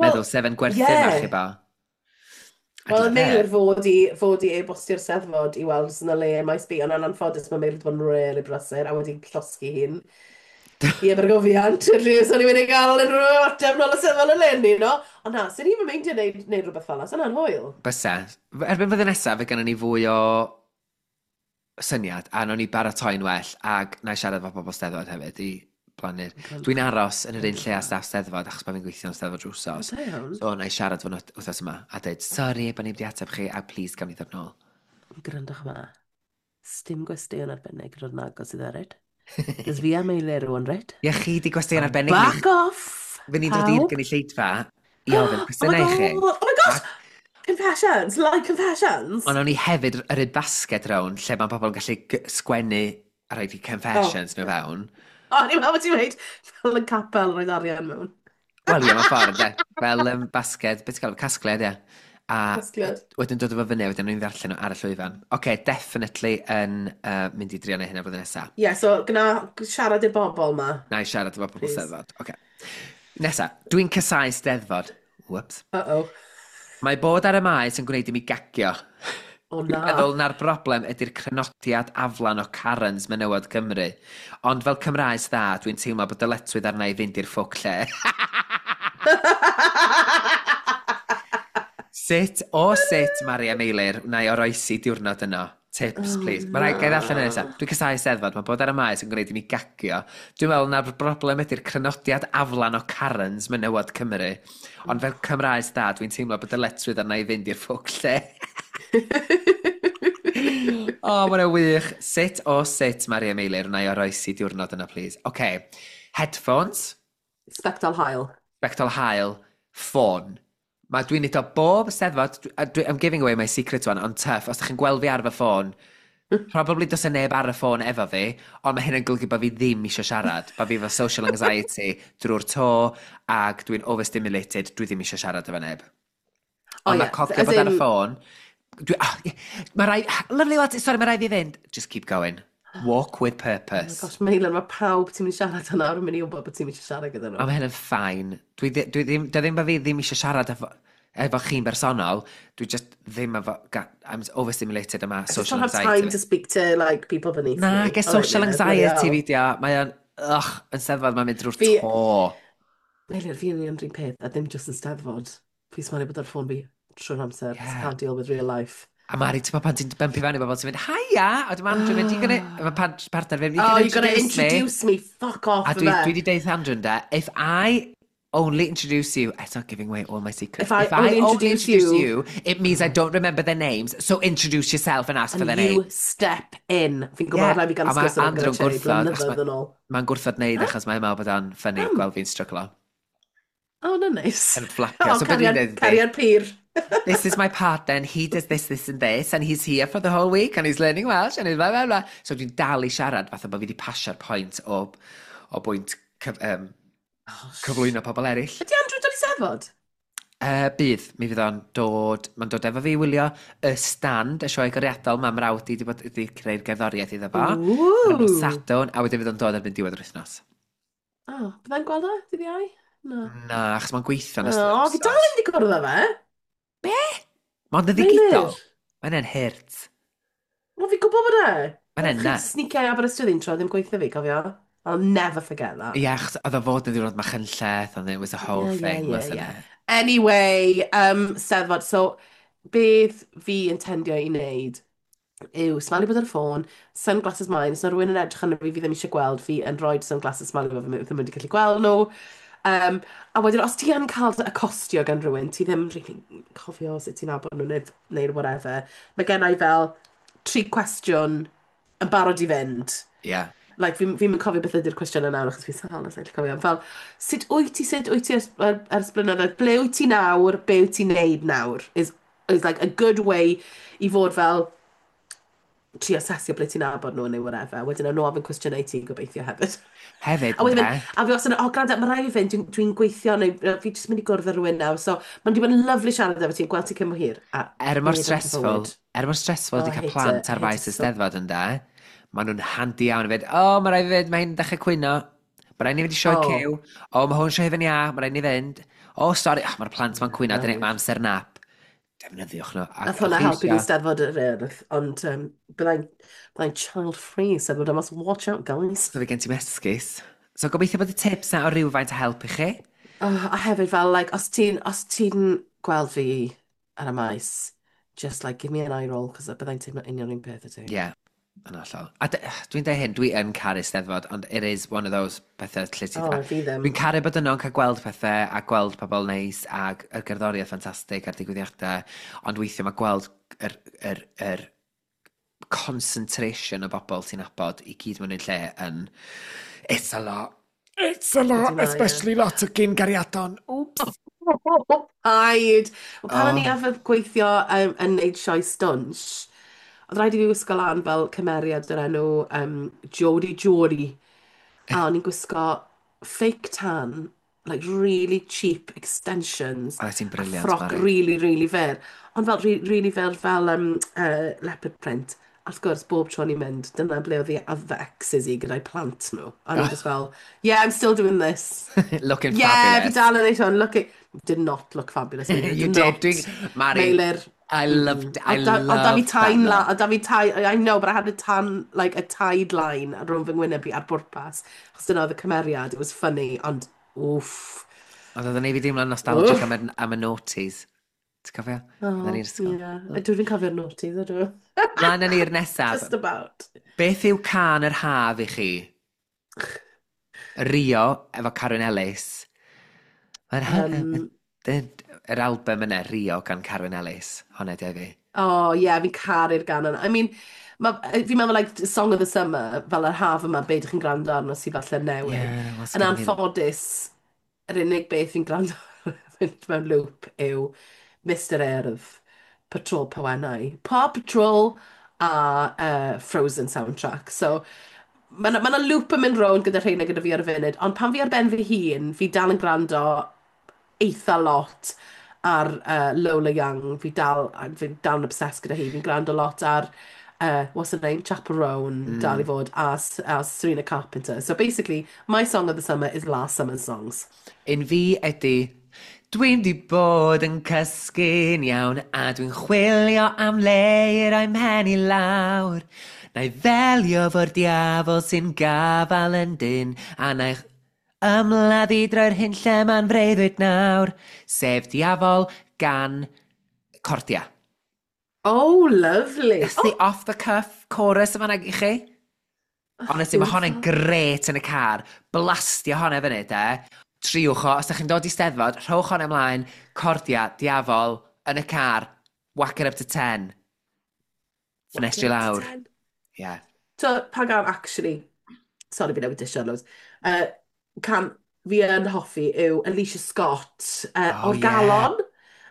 Wel, Meddwl sef yn gwerthu ma, chi ba? I'd Wel, love Meilir it. fod i e-bostio'r Steddfod i weld os yna le yn Maes B, ond yn anffodus mae Meilir wedi bod yn really brysur a wedi llosgi hun i Abergofiant. Felly, so ni'n mynd i gael unrhyw ateb nôl y Steddfod eleni, no? Ond na, sy'n ni'n meindio neud rhywbeth fel 'na, sy'n hwyl. Bysa. Erbyn flwyddyn nesaf, fe gynnon ni fwy o syniad, a nawn ni baratoi'n well, ac na i siarad efo pobl Steddfod hefyd i plannu'r. Dwi'n aros yn yr un lle a staff Steddfod, achos bod fi'n gweithio yn Steddfod drwy O, wsos. da iawn. So, na i siarad fo nhw wythnos yma, a dweud, "Sori, bod ni wedi ateb chi, a please gawn ni ddod nôl." Gwrandwch yma. Sdim gwesteion arbennig yn dod yn agos i ddered. Cos fi a Meilir rwan, reit? Ie, chi di gwesteion arbennig ni. Back off, Fy ni'n dod i'r pawb. gynulleidfa i ofyn Oh my cwestiynau i chi. God, oh my gosh! A Confessions, live confessions! ond o'n i hefyd yr un basged round lle mae pobl yn gallu sgwennu a rhoi Oh, confessions nhw fewn. oh, ni'n meddwl bod ti'n dweud fel yn capel roedd arian mewn. Wel, ie, mae'n ffordd, de. Fel basged, beth ti'n gael, casgliad, ie. A Casgliad. wedyn dod efo fyny, wedyn nhw'n ddarllen nhw ar y llwyfan. Oce, okay, definitely yn mynd i drio neud hynna blwyddyn nesaf. Ie, yeah, so gyna siarad i'r bobl ma, Na i siarad efo pobl please. Steddfod. Oce. Okay. Nesa, dwi'n casáu Steddfod. Whoops. Uh-oh. Mae bod ar y maes yn gwneud i mi gagio. O Dwi'n na. meddwl na'r broblem ydy'r crynodiad aflan o Karens menywod Cymru. Ond fel Cymraes dda, dwi'n teimlo bod dyletswydd arna i fynd i'r ffwc lle. Sut, o sut, Maria Meilir, wna i oroesi diwrnod yno? Tips, Oh please. Mae rhaid gael allan yn nesaf. na. Dwi'n casáu Steddfod, mae bod ar y maes yn gwneud i mi gagio. Dwi'n meddwl na'r broblem ydy'r crynodiad aflan o Karens menywod Cymru. Ond fel Cymraes dda, dwi'n teimlo bod dyletswydd arna i fynd i'r ffwc lle. O, oh, mae'n wych. Sut o sut, Maria Meilir, wna i oroesi diwrnod yna, please? OK. Headphones, Sbectol haul. sbectol haul, ffôn. Mae dwi'n neud o bob Steddfod, I'm giving away my secret one, ond tough, os ydych chi'n gweld fi ar fy ffôn, probably does 'na neb ar y ffôn efo fi, ond mae hyn yn golygu bod fi ddim eisiau siarad, bod fi efo social anxiety drwy'r to, ac dwi'n overstimulated, dwi ddim eisiau siarad efo neb. O Ond ie, mae cofio as bod ar y in, ffôn, dwi, oh, yeah, mae rai, lovely lads, sorry, mae rai fi fynd. Just keep going. Walk with Oh my purpose. gosh, Meilir, mae pawb ti'n mynd i siarad yna nawr yn mynd i wybod bod ti'n mynd i siarad gyda Ond nhw. mae hyn yn fine. Dwi ddim, dwi ddim bod fi ddim eisiau siarad efo. Efo chi'n bersonol, dwi just ddim efo, I'm overstimulated yma I just social don't have anxiety time fi. to speak to, like, people beneath Na, me. ge Oh, social yeah, bloody anxiety hell. fi di o. Mae o'n, ugh, yn steddfod mae'n mynd drwy'r Fi, to. Meilir, fi'n union rhywun peth, a ddim just yn steddfod. Fi smalu bod ar ffôn fi trwy'r amser, 'cause I Yeah. can't deal with real life. A Mari, ti'n pan ti'n bumpio fewn i bobl, ti'n mynd, "Haia!" A dwi'n Andrew mynd, "You gonna," mae partner fi'n, "You Oh, gonna you're gonna introduce me?" introduce me. Fuck off A with dwi it. wedi deud Andrew ynde, "If I only introduce you," it's not giving away all my secrets. If I "If I only only introduce introduce you, you, it means I don't remember their names, so introduce yourself and ask for and their you name." step in. Fi'n gwybod Yeah, rhaid fi gael a mae sgwrs yna gyda Andrew'n Cherry gwrthod, achos blynyddoedd yn ôl. Mae'n gwrthod neud Huh? achos mae'n meddwl bod o'n funny Pam? gweld fi'n stryglo. Oh, no, nice. Yn fflapio. Oh, So beth dwi'n cariad, dweud ydi, cariad pur. "This is my partner and he does this, this and this and he's here for the whole week and he's learning Welsh and he's blah, blah, blah." So dwi'n dal i siarad fatha bod fi wedi pasio'r pwynt o bwynt Oh, cyflwyno pobl eraill. Ydy Andrew dod i steddfod? Bydd, mi fydd o'n dod, mae'n dod efo fi i wylio y stand, y sioe goriadol, mae mrawd i wedi bod wedi creu'r gerddoriaeth iddo fo. Ar y nos Ooh. Sadwrn, a wedyn fydd o'n dod erbyn diwedd yr wythnos. Oh, byddai'n gweld e? Dydd Iau? Na. Na, achos mae'n gweithio yn ystod yr Oh, fi dal wythnos. ddim wedi cwrdd â fe. Be? Mae'n ddigidol. Meilir. Mae'n hurt. Wel, fi'n gwybod bod e. Mae'n Oedd chi nuts. sneakio i Aberystwyth un tro, ddim gweithio fi, cofio? I'll never forget that. Ie, achos oedd o fod yn ddiwrnod Machynlleth, and it was a whole Yeah, yeah, thing, yeah, wasn't yeah. it? Anyway, Steddfod. So, beth fi yn tendio i wneud yw smalu bod ar y ffôn, sunglasses mine, os yna rhywun yn edrych arno fi fi ddim eisiau gweld, fi yn rhoi sunglasses smalu bod fi ddim wedi gallu gweld nhw. A wedyn, os ti yn cael dy acostio gan rhywun, ti ddim really cofio sut ti'n nabod nhw neu whatever. Mae gen i fel tri cwestiwn yn barod i fynd. Like, fi'n cofio beth ydy'r cwestiynau nawr, achos fi'n sâl, os gallu cofio. Fel, sut wyt ti ers blynyddoedd, ble wyt ti nawr, be wyt ti'n neud nawr, is like a good way i fod fel, tri asesio ble ti'n nabod nhw neu whatever. Wedyn nhw ofyn cwestiynau i ti gobeithio hefyd. Hefyd, A wedyn ynde? mynd, a fi os yn, "Oh, gwrando, mae rhaid i fi fynd, dwi gweithio neu fi jyst mynd i gwrdd â rhywun nawr, so mae'n di bod yn lovely siarad efo ti'n gweld ti cyn bo hir." A Er mor neb yn stressful, bywyd. er mor stressful Oh, ydi I cael hate plant it. ar I hate faes it y so. Steddfod ynde, maen nhw'n handi iawn i fynd, "O, oh, mae rhaid i fynd, mae hi'n dechrau cwyno. Mae rhaid ni fynd i sioe cyw. O, mae hwn sioe hufen iâ, mae rhaid ni fynd. O, sori, oh, mae'r plant ma'n cwyno, dyna mae amser nap." Defnyddiwch nhw. A, Nath hwnna chi helpu fi isio- Steddfod yr Urdd, ond byddai'n child-free Steddfod yma, so watch out, guys. So fe gen ti'n esgus. So gobeithio bod y tips na o rywfaint o help i chi. Oh, a hefyd fel, like, os ti'n gweld fi ar y maes, just like, give me an eye roll, cos byddai'n teimlo union un peth y ti. Ie, yeah, yn hollol. A dwi'n dweud hyn, dwi yn caru Steddfod, ond it is one of those pethau lle ti Oh, fi ddim. Dwi'n caru bod yno yn cael gweld pethau a gweld pobl neis ac y gerddoriaeth ffantastig a'r digwyddiadau, ond weithiau mae gweld yr concentration o bobl ti'n nabod i gyd mewn un lle yn... It's a lot. It's a lot, Ydy mae, ie. Especially lot o gyn gariadon. Oops. Paid! Wel, pan o'n i Oh. arfer gweithio yn neud sioe stwnsh, oedd rhaid i fi wisgo lan fel cymeriad o'r enw Jodie Jodie. A o'n i'n gwisgo fake tan, like really cheap extensions, Oedd ti'n a brilliant, ffroc Mari. really, really fyr. Ond fel really fyr fel leopard print. A wrth gwrs, bob tro o'n i'n mynd, dyna ble oedd i other exes i gyda'i plant nhw. A o'n i'n just fel, "Yeah, I'm still doing this." Looking Yeah, fi fabulous. dal yn neud hwn. Look, did not look fabulous. Meilir, You did did. not. Mari, Meilir. I loved, I Oedd da fi loved that tain la, look. oedd da fi tai, I know, but I had a tan, like a tide line ar rhwng fy ngwyneb i ar bwrpas. Achos dyna oedd y cymeriad, it was funny, ond oof. Ond oedd yn ei fi deimlo'n nostalgic Oof. am y noughties. Ti'n cofio? Oh, Oedden ni'r ysgol. yeah. Dwi'n cofio'r noughties, ydw. Mlaen â ni'r nesaf. Just about. Beth yw cân yr haf i chi? Rio, efo Carwyn Ellis. Mae'r yr album yna, Rio, gan Carwyn Ellis. Honna di fi. Oh, yeah, fi'n caru'r gan yna. I mean, fi'n meddwl, like, Song of the Summer, fel yr haf yma, be ydych chi'n gwrando arno sydd falle newydd. Yeah, wel, Yn sgynna fi ddim. anffodus, yr unig beth fi'n gwrando fynd mewn loop yw Mr Urdd, Patrol Pawennau, Paw Patrol a Frozen soundtrack. So, mae yna ma loop yn mynd rownd gyda rheina gyda fi ar y funud, ond pan fi ar ben fy hun, fi dal yn gwrando eitha lot ar Lola Young. Fi dal yn obsessed gyda hi. Fi'n gwrando lot ar, what's her name? Chappell Roan, dal i fod, a Serena Carpenter. So basically, my song of the summer is last summer's songs. Un fi ydy. Dwi'm di bod yn cysgu'n iawn a dwi'n chwilio am le i roi mhen i lawr. Na i ddelio fo'r diafol sy'n gafal yn dyn a na i ymladd i droi'r hyn lle ma'n freuddwyd nawr. Sef Diafol gan Cordia. Oh, lovely. That's the off the cuff chorus yma i chi. Honestly, mae hon yn gret yn y car. Blastio hwnna fyny, de. Triwch o, os ydych chi'n dod i Steddfod, rhowch hwn ymlaen, Cordia, Diafol, yn y car, whack it up to 10. Ffenestri lawr. Yeah. So, pa gan, actually, sorry fi newid disio loads, can fi yn hoffi yw Alicia Scott, oh, O'r Galon.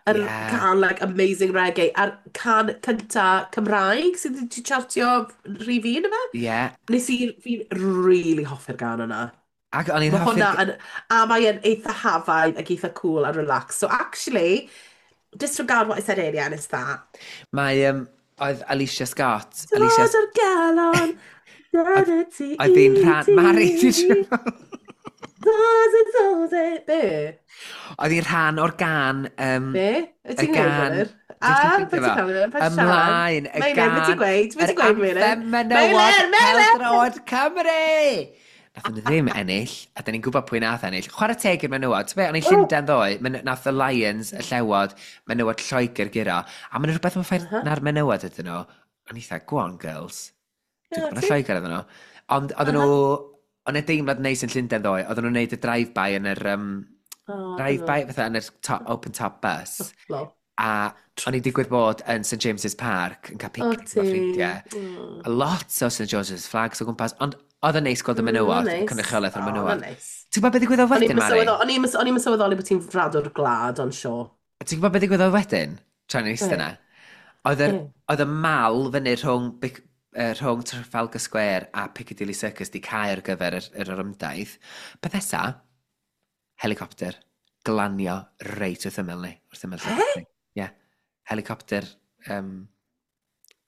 Yr can, like, amazing reggae. A'r can cynta Cymraeg sydd wedi chartio rhif un yma. Yeah. Nes i, fi'n really hoffi'r gan yna. Ac o'n i'n hoffi'r... hwnna yn... A mae'n eitha hafaidd ac eitha cool a relax. So actually, disregard what I said earlier and it's that. Mae, oedd Alicia Scott... Dod Alicia... o'r galon, dyna ti Oedd hi'n rhan... Mari, ti'n siŵr? Be? Oedd hi'n rhan o'r gan... Be? Wyt ti'n gwneud, Meilir? A, beth ti'n cael ei Ymlaen, y gan... Meilir, beth ti'n gweud? Beth ti'n gweud, Meilir? Yr anthem menywod pêl-droed Cymru! Nath nhw ddim ennill, a da ni'n gwybod pwy nath ennill. Chwarae teg i'r menywod. Ti'n be, o'n i'n Llundain ddoe, nath y Lions, y Llewod, menywod Lloegr guro. A mae'n rhywbeth yn ffair na'r menywod ydyn nhw. O'n eitha, go on girls. Dwi'n gwybod na Lloegr ydyn nhw. Ond oedden nhw, o'n e deimlad neis yn Llundain ddoe, oedden nhw'n neud y drive-by yn yr, drive-by, fatha yn yr top, open top bus. A o'n i digwydd bod yn St James's Park yn cael picnic efo ffrindiau. A lot o St George's flags o gwmpas, ond oedd yn neis gweld y menywod, y cynrychiolaeth o'r menywod. Ti'n gwybod beth ddigwyddodd wedyn, Mari? O'n i'n sylweddoli bod ti'n fradwr gwlad, ond sure. Ti'n gwybod beth ddigwyddodd wedyn? Tra'n eistedd yna. Oedd y mal fyny rhwng Trafalgar Square a Piccadilly Circus di cau ar gyfer yr orymdaith. Beth nesa? Helicopter. Glanio reit wrth ymyl ni. Wrth ymyl lle. Ie. Yeah. Helicopter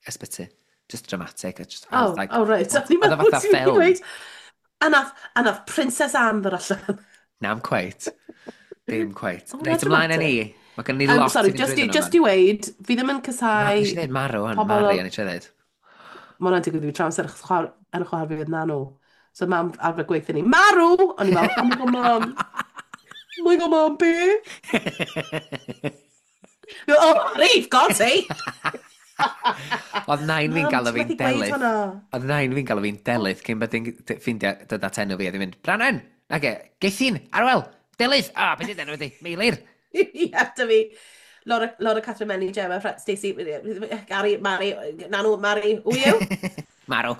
ysbyty. Just dramatic. Just, oh, like, oh, right. Oedd o fatha ffilm. A nath Princess Anne ddod allan. Na'm cweit. Dim cweit. Reit, ymlaen â ni. Mae gen ni lot sorry, just i weud, fi ddim yn casau... Nes i ddweud marw, hwn, Mari, o'n i eisiau ddweud. Mae hwnna'n digwydd i fi tramser, achos enw chwaer fi oedd Nanw. So mam arfer gweithio ni, marw! O'n i fel, oh my god, mam. Oh my god, mam, be? Oh, Mari, for God's sake! Oedd nain fi'n galw fi'n Delyth. Oedd nain fi'n galw fi'n Delyth cyn bod hi'n ffeindio dod at enw fi a ddim mynd, Branwen, nage, Gethin, Arwel, Delyth, a, beth ydy enw fi, Meilir. Ie, dy fi. Laura, Laura Catherine Menny, Gemma, Stacey, Gary, Mari, Nanw, Mari, who are you? Marw.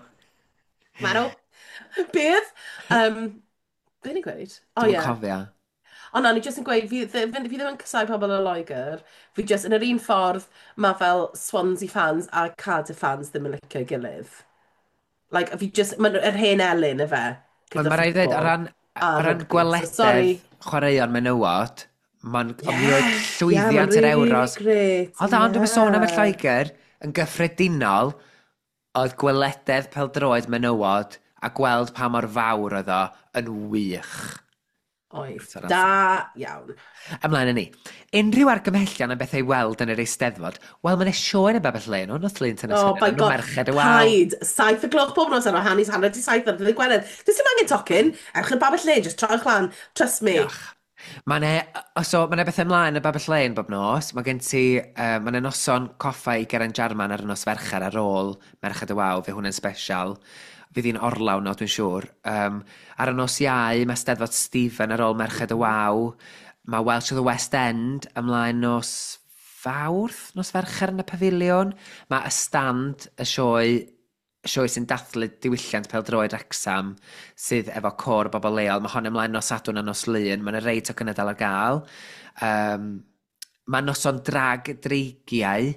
Marw. Beth? Be ni'n gweud? Oh, Dwi'n cofio. Ond na, ni jyst yn gweud, fi ddim yn casau pobl o Loegr. Fi jyst, yn yr un ffordd, mae fel Swansea fans a Cardiff fans ddim yn licio'i gilydd. Like, fi jyst, mae'n yr hen elyn, efe, Ond gyda mae rhaid ddweud, o ffwtbol ran, a o ran rygbi. So, sorry. gwelededd chwaraeon menywod, mae'n yeah, mi oedd Yeah, mae'n llwyddiant yr really, really Euros. great. Hold on, dwi'n sôn am y Yeah. Lloegr, yn gyffredinol, oedd gwelededd pêl-droed menywod a gweld pa mor fawr oedd o yn wych. Oedd. Sorry, Da iawn. Ymlaen â ni. Unrhyw argymhellion am bethau i weld yn yr Eisteddfod? Wel, mae'n sioe yn y Babell Lane, ond oedd Lyn Tynnes Oh my nhw god, Merched y Wal. paid. 7 o'clock bob nos ar 6:30 ar ddydd Gwener. Does dim angen tocyn. Ewch i'r Babell Lane, just trowch lan. Trust me. Diolch. Mae 'ne, so, ma' 'ne bethau ymlaen y Babell Lane bob nos. Mae gen ti, mae 'ne noson coffa i Geraint Jarman ar y nos Fercher ar ôl Merched y Wawr, fe hwnna'n special. Fydd hi'n orlawn o, dwi'n siŵr. Ar y nos Iau, mae Steddfod Stephen ar ôl Merched y Wawr. Mae Welsh of the West End ymlaen nos Fawrth, nos Fercher yn y Pafiliwn. Mae y stand, y sioe sy'n dathlu diwylliant pêl-droed Wrecsam sydd efo côr o bobl leol. Mae hon ymlaen nos Sadwrn a nos Lun. Mae'n rei tocynnau dal ar gael. Mae noson drag dreigiau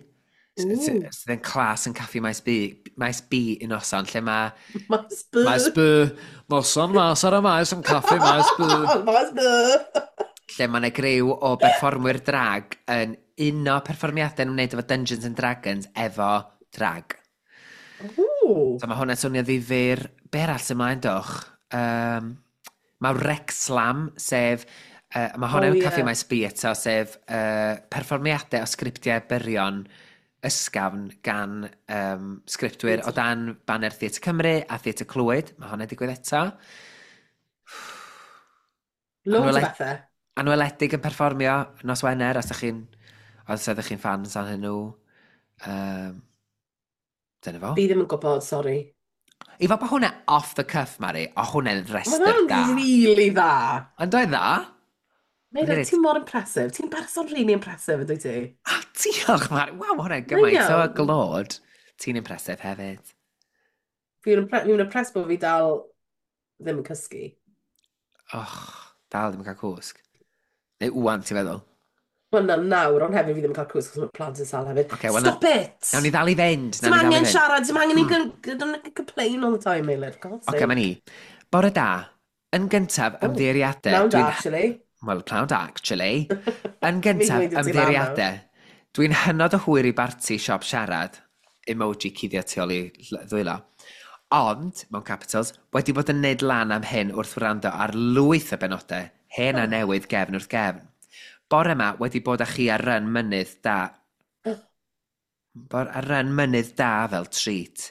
sydd yn clas yn Caffi Maes B, Maes B un noson, lle mae... Maes B. Maes B, noson mas ar y maes yn Caffi Maes B. Maes B. Lle mae yna griw o berfformwyr drag yn uno perfformiadau yn wneud efo Dungeons and Dragons efo drag. Ooh. So mae hwnna'n swnio ddifyr. Be arall sy'n ymlaen doch? Mae Wrexslam, sef Mae hwn Oh yn Caffi yeah. Maes B eto, sef perfformiadau o sgriptiau byrion ysgafn gan sgriptwyr o Theatr. dan baner Theatr Cymru a Theatr Clwyd. Mae hwnna'n digwydd eto. Loads o Anweled bethau. Anweledig yn perfformio nos Wener, os ydych chi'n os ydych chi'n fans arnyn nhw. Um, dyna fo. Fi ddim yn gwybod, sori. I fod bod hwnna off the cuff, Mari, o hwnna'n Mae restr hwnna'n da. really dda. Ond oedd dda? O'n i Meilir, reit, ti'n mor impressive. Ti'n person really impressive, yn dwyt ti? ah, diolch, Mari. Waw, ma' hwnna'n Mae'n gymaint o iawn. glod. Ti'n impressive hefyd. Fi'n impressed bod fi dal ddim yn cysgu. Och, dal ddim yn cael cwsg. Neu wwan, ti'n feddwl? Wel, na, nawr, ond hefyd fi ddim yn cael cwsg, achos mae plant yn sâl hefyd. Oce, okay, wel, Stop it! nawn ni ddal i fynd. Dim Nawn ni ddal i angen fynd. siarad, dim angen i don't complain all the time, Meilir, for God's Oce, okay, sake. mae ni. Bore da. Yn gyntaf, Oh, ymddiheuriadau. nawn da, Dwi'n... actually. Wel, pnawn da, actually. Yn Fi'n gyntaf, dweud i ti lan nawr. ymddiheuriadau. Dwi'n hynod o hwyr i barti siop siarad. Emoji cuddio tu ôl i ddwylo. Ond, mewn capitals, wedi bod yn neud lan am hyn wrth wrando ar lwyth o benodau, hen a Oh. newydd gefn wrth gefn. Bore yma wedi bod â chi ar run mynydd da. Bor ar run mynydd da fel treat.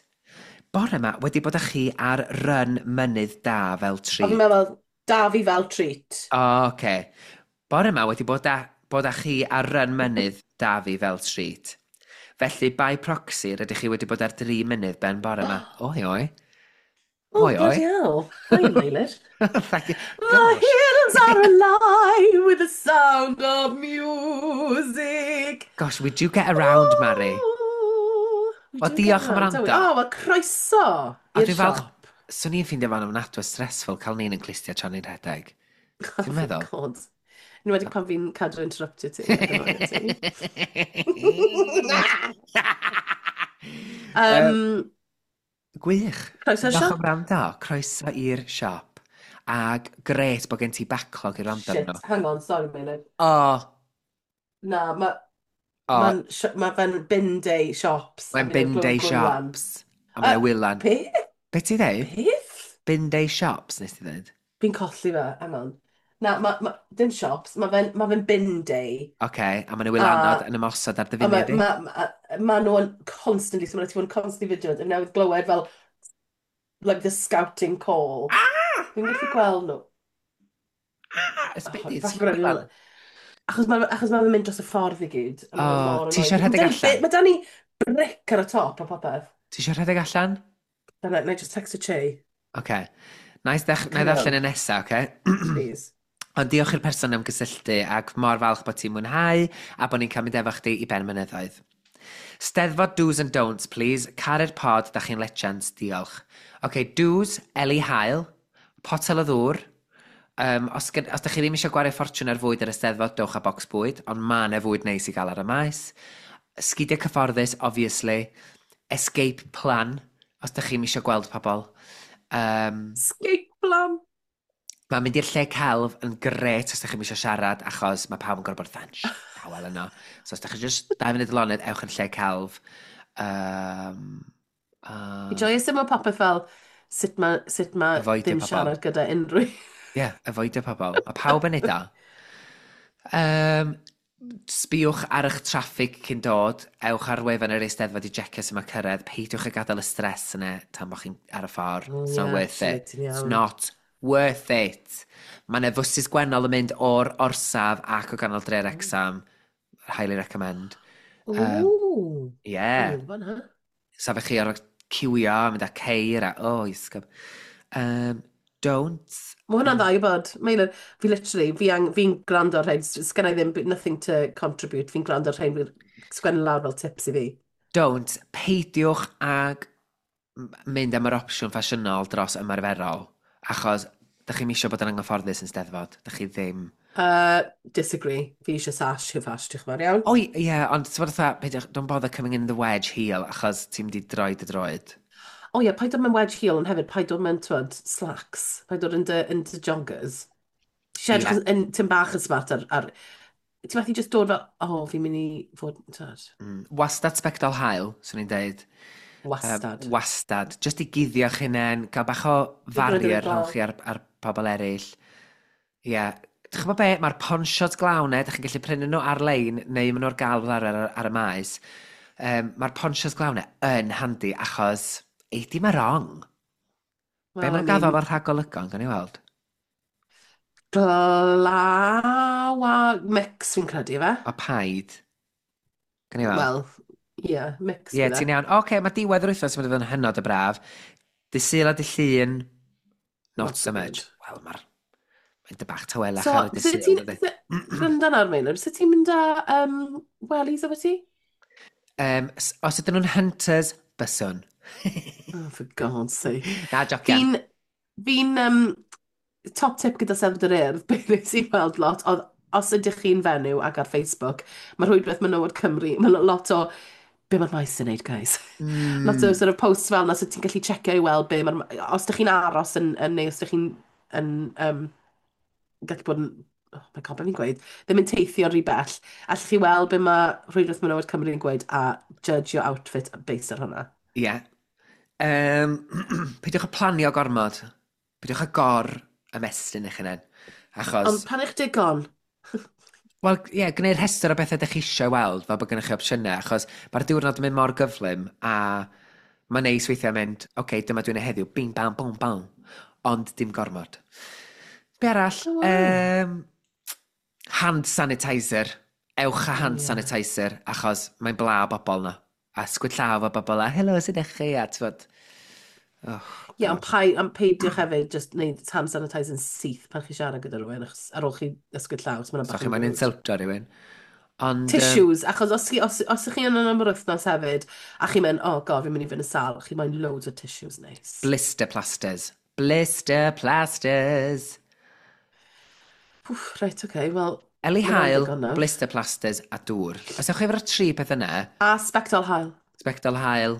Bore yma wedi bod â chi ar run mynydd da fel A fi'n treat. meddwl, da fi fel treat. O, oce. Bore yma wedi bod â chi ar run mynydd da fi fel treat. Felly, by proxy, rydych chi wedi bod ar dri mynydd ben bore yma. Oi, oi. Oh, Oi, bloody oi. hell. Hi, Meilir. Thank you. The Gosh. hills are alive with the sound of music. Gosh, we do get around, Mari. Oh, we Wel, do get diolch am around, don't we? wrando. Oh, well, croeso A i'r dwi'n falch, siop. swn i'n ffeindio fo'n ofnadwy o stressful cael ni'n yn clustia tra'n ni'n rhedeg. Oh, Ti'n for meddwl? God. Yn wedi pan fi'n cadw interruptio ti. Ac annoio ti. Uh, Um, gwych. Croeso'r Diolch am siop. wrando. Croeso i'r siop. Ag gret bod gen ti backlog i wrando Shit, arno. hang on, sorry, Meilir. O, Na, mae o, ma ma fe'n bin day shops a mae'n fi newydd bin glywed day gwylan. shops. A mae'n Uh, wylan. be? Be ti ddeud? Beth? Bin day shops, nes ti ddeud? Fi'n colli fe, hang on. Na, dim shops, mae fe'n ma fe bin day. Oce, a mae'n A, wylanod yn ymosod ar dy a mae finiau di? ma, ma, ma nhw'n constantly, so mae'n ti fod yn constantly vigilant. Fi newydd glywed fel, like, the scouting call. Ah! Fi'n gallu gweld nhw. Ah! Oh, Ysbeidu, falle ti'n bod wylan? rhaid achos ma fe'n mynd dros y ffordd i gyd, a O, mae fe mor ti annoying. eisiau Mae rhedeg da ni, allan? ma da ni brick ar y top a popeth. Ti eisiau rhedeg allan? Na, na i just text a Che. Oce. Na i Carry ddarllen on, y nesaf, oce? please. Ond diolch i'r person am gysylltu ac mor falch bod ti'n mwynhau a bod ni'n cael mynd efo chdi i ben mynyddoedd. Steddfod do's and don'ts, please. Caru'r pod, da chi'n legends, diolch. Oce, do's, Eli Hael, potel o ddŵr. Os da chi ddim eisiau gwario ffortiwn ar fwyd ar y Steddfod, dewch â bocs bwyd, ond ma' 'na fwyd neis i gael ar y maes. Sgidiau cyfforddus, obviously. Escape plan, os da chi'n eisiau gweld pobl. Um, Escape plan. Mae'n mynd i'r lle celf yn gret os da chi'n eisiau siarad, achos mae pawb yn gorfod bod yn dawel yno. So os da chi just 2 munud lonydd, ewch yn lle celf. Um, Fi uh, joius ddim o popeth fel sut ma avoidio ddim pobl. siarad gyda unrhyw. Ie, yeah, avoidio pobl. Mae pawb yn neud o. Um, sbïwch ar eich traffig cyn dod, ewch ar wefan yr Eisteddfod i jecio sut mae cyrraedd, peidiwch â gadael y stress yna tan bod chi'n ar y ffordd. Oh It's not yeah, worth actually, it. ti'n It's iawn. not worth it. Mae yna fwsys gwennol yn mynd o'r orsaf ac o ganol dre Wrexham. Highly recommend. Um, Ooh, o'n yeah. i'n gwybod hwnna. Safech chi ar ciwio, mynd â ceir a, oh, isgob. Don't. Mae hwnna'n dda i bod. Meilir, fi literally, fi gwrando ar rhain, sgen i ddim, nothing to contribute, fi'n gwrando ar rhain, fi'n sgwennu lawr fel tips i fi. Don't. Peidiwch ag mynd am yr opsiwn ffasiynol dros ymarferol, achos dych chi'n misio bod yn anghyfforddus yn Steddfod. Dych chi ddim. Disagree. Fi eisiau sash, hyw fash, diolch yn fawr iawn. O, ie, yeah, ond ti'n bod fatha, peidiwch, don't bother coming in the wedge heel, achos ti'n mynd i droi dy droed. O ie, paid dod mewn wedge heel, ond hefyd paid dod mewn, twyd, slacks. Paid dod yn dy joggers. Ti Ie. eisiau edrych yn tym bach yn smart ar. Ti'n methu just dod fel, oh, fi'n mynd i fod, twyd, Wastad sbectol haul, swn i'n deud. Wastad. Wastad. Just i guddio'ch hunain, cael bach o Dwi'n gwneud yn y farrier rhwng glaw. chi a'r pobl eraill. Ie, yeah. Dych chi'n gwybod be? Mae'r ponsios glaw 'na, dych chi'n gallu prynu nhw ar-lein neu maen nhw ar gael fel arfer ar y maes. Mae'r ponsios glaw 'na yn handi achos ei di ma wrong. Be Well, maen I nhw'n gaddo mean, fel rhagolygon, gan i weld? glaw a mix fi'n credu fe. O paid. Gan i weld? Wel, ie, yeah, mix Ie, yeah, bydd e. ti'n iawn. Oce, okay, mae diwedd yr wythnos yn mynd i fod yn hynod o braf. Dydd Sul a dydd Llun, not Not so so much. good. Wel, mae'n dy bach tawelach So, ar y dydd sut Sul, ti'n... dydy. Gwrando nawr, Meinir, sut ti'n mynd â wellies efo ti? Os ydyn nhw'n hunters, byswn. Oh, for God's sake. Na, jocian. Fi'n... Fi'n top tip gyda Steddfod yr Urdd, beth nes i weld lot, oedd os ydych chi'n fenyw ac ar Facebook, mae rhwydwaith Menywod Cymru, mae lot o, be mae'r maes yn neud, guys? Lot o sort of posts fel yna, so ti'n gallu checio i weld be mae'r... Os ydych chi'n aros yn neu os ydych chi'n yn, gallu bod yn... Oh my God, be fi'n gweud? Ddim yn teithio rhy bell. Allwch chi weld be mae rhwydwaith Menywod Cymru yn gweud a judge your outfit based ar hwnna. Ie. Yeah. Peidiwch â planio gormod. Peidiwch â gor ymestyn eich hunain. Achos, Ond pan eich digon? wel, ie, yeah, gwneud rhestr o bethau ydych chi eisiau weld, fel bod gennych chi opsiynau, achos mae'r diwrnod yn mynd mor gyflym, a mae'n neis weithiau mynd, oce, okay, dyma dwi'n ei heddiw, bing, bam, bom, bam, ond dim gormod. Be arall? Oh, wow. Hand sanitizer. Ewch â Oh, hand yeah. sanitizer, achos mae'n bla o bobl na. A sgwyd llaw o bobl a, helo, sut ydych chi? A ti'n fod, oh, Ie, ond God. ond peidiwch hefyd just wneud hand sanitizer yn syth pan chi siarad gyda rhywun, achos ar ôl chi ysgwyd llaw, so mae'n So bach chi yn mae'n rude. insultio rhywun. Ond, Tissues, achos os chi yn am yr wythnos hefyd, a chi'n mynd, "Oh God, fi'n mynd i fynd yn sâl," chi moyn loads o tissues neis. Blister plasters. Blister plasters. Pwff, reit, oce, okay, wel, Eli mae hwnna'n haul, ddigon nawr. Blister plasters a dŵr. Os ewch chi efo'r tri peth yna, A sbectol haul. Sbectol haul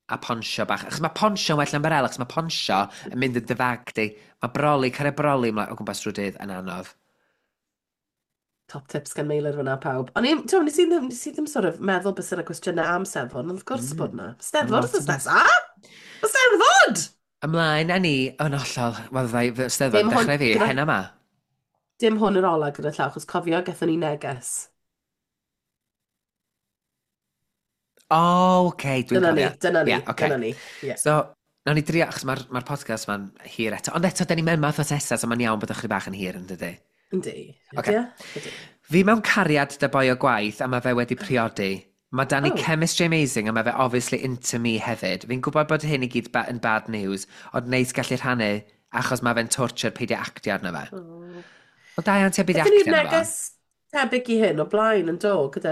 a ponsio bach. Achos mae ponsio yn well na ymbarel, achos mae ponsio yn mynd yn dy fag di. Mae broli, cario broli o gwmpas drwy dydd yn anodd. Top tips gan Meilir fyna pawb. Ond nes i ddim sort of meddwl beth sy'n y cwestiynau am Steddfod, ond wrth gwrs bod yna. Steddfod Lot wythnos yna. nesa! Steddfod! Ymlaen â ni yn hollol. Wel, ddau Steddfod Dim hwn- dechrau fi, hen yma. Dim hwn yr ola gyda llaw, achos cofio, gathon ni neges. O, oce, dwi'n Dyna ni, cofio. dyna ni, Ie, ocê. dyna ni. Ie. So, nawn ni drio, achos mae'r ma podcast ma'n hir eto. Ond eto, da ni'n mewn math o nesa, so mae'n iawn bod ychydig bach yn hir yn dydy. Yndi. Ocê. Ydy e? Ydy. Fi mewn cariad 'da boi o gwaith a mae fe wedi priodi. Mae 'da ni chemistry amazing a mae fe obviously into me hefyd. Fi'n gwybod bod hyn i gyd ba yn bad news, ond neis gallu rhannu achos mae fe'n torture peidio actio arno fe. Oh. Wel, da iawn ti am beidio Gaethon actio ni'r arno fo. neges tebyg i hyn o blaen yn do, gyda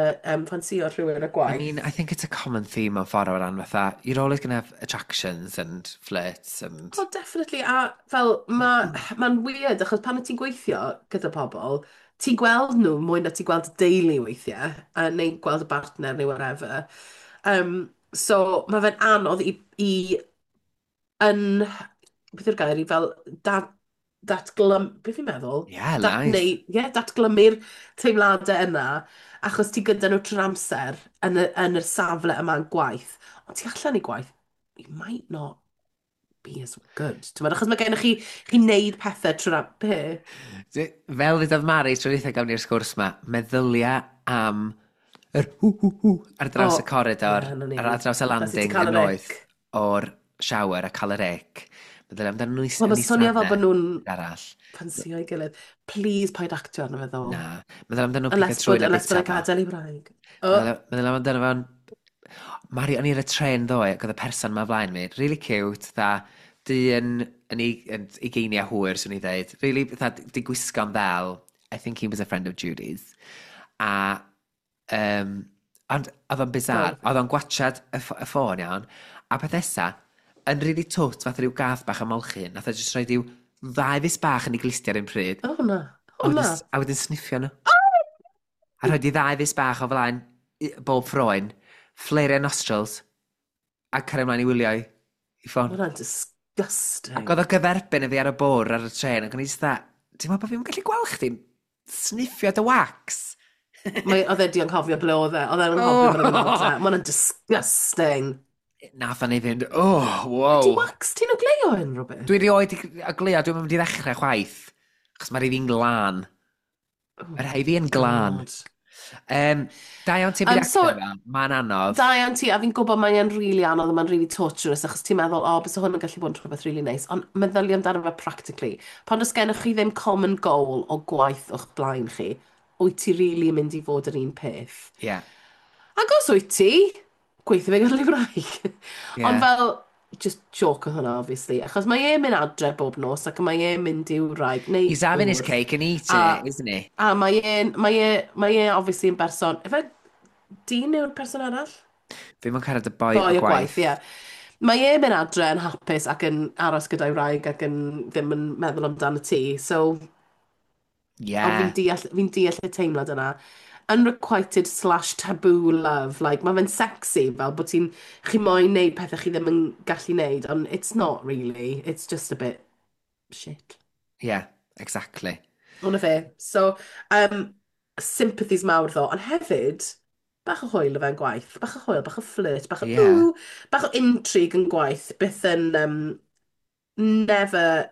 ffansio rhywun y I gwaith. mean, I think it's a common theme mewn ffordd o ran fatha, you're always going to have attractions and flirts and. Oh, definitely. A fel, mae'n weird, achos pan wyt ti'n gweithio gyda pobl, ti'n gweld nhw mwy na ti'n gweld y deulu weithiau, a neu gweld y partner neu whatever. So, mae fe'n anodd i yn, beth yw'r gair, i fel datglym, beth fi'n meddwl? Yeah, Dat, nice. neu, yeah, datglymu'r teimladau yna, achos ti gyda nhw trwy'r amser yn y safle yma'n gwaith. Ond ti allan i gwaith, you might not be as good. Ti'n meddwl, achos mae gennych chi wneud pethau trwy'r Be? Fel ddudodd Mari tro dwytha gawn ni'r sgwrs ma, meddylia am yr hw hw hw ar draws O, y coridor, ie, 'na ni. ar draws y Na sut ti'n landing cael yn yr noeth ick. o'r shower a cael yr ick. Meddylia amdano nhw Wel, yn mae'n swnio fel bod nhw'n arall. ffansio ei gilydd. Please, paid actio arno fe ddo. Na. Meddylia amdano nhw'n pigo Unless trwy bod, na unless bod bita e'n fo. gadael i wraig. Oh, Meddylia amdano fo'n. Mari, o'n i ar y tren ddoe, ac oedd y person ma flaen mi, really cute, dda, dyn yn ugeiniau hwyr, swn i dweud. Really, dda, di gwisgo'n ddel. I think he was a friend of Judy's. A, ond oedd o'n bizarre. Go. Oedd o'n gwatchad y ffôn iawn. A peth nesa, yn really twt, fath rhyw gath bach ymolchi, nath o jyst rhoi rhyw ddau fus bach yn ei glustia ar un pryd. Oh na. A Oh na. wedyn sniffio nhw. A rhoi di ddau fus bach o flaen bob ffroen, flare nostrils, a cario ymlaen i wylio i ffôn. Mae hwnna'n disgusting. Ac oedd o gyferbyn y fi ar y bwr ar y tren, ac o'n i jyst dda, ti'n meddwl bod fi'n gallu gweld chdi'n sniffio dy wax? Mae, oedd e di anghofio ble oedd e. Oedd e'n anghofio bod e'n adre. Mae hwnna'n disgusting. Nath o'n i fynd, oh, wow. Di wax ti'n ogleuo unrhyw beth? Dwi rioed i ogleuo, dwi'n mynd i ddechrau chwaith. Achos mae'r un fi'n glân. Oh Mae rhai fi yn glân. God. Da iawn ti'n byd So, actor fel, mae'n anodd. da iawn ti, a fi'n gwybod mae'n really anodd a mae'n really torturous, achos ti'n meddwl, "O, oh, byse hwn yn gallu bod yn rhywbeth really nice." Ond meddylia amdano fe practically. Pan oes gennych chi ddim common goal o gwaith o'ch blaen chi, wyt ti really mynd i fod yr un peth? Ie. Ac os wyt ti, gweithio fe gyda'i wraig. Ond fel, just joke oedd hwnna, obviously. Achos mae e'n mynd adre bob nos ac mae e'n mynd i'w wraig, neu He's having his ŵr. cake and eating A, it, isn't he? a mae e obviously yn berson. Ife dyn yw'r person arall? Fi mo'n cyrraedd y boi o Boi o gwaith, gwaith. ie. Mae e'n mynd adre yn hapus ac yn aros gyda'i wraig ac yn ddim yn meddwl amdano ti. So, ond fi'n deall y teimlad yna. Unrequited/taboo love. Like, mae fe'n sexy, fel bod chi moyn neud pethau chi ddim yn gallu neud, ond it's not really. It's just a bit shit. Yeah, exactly. Hwna fe. So, sympathies mawr ddo, ond hefyd, bach o hwyl o fe'n gwaith. Bach o hwyl, bach o flirt, bach o ooh, bach o intrigue yn gwaith. Byth yn, never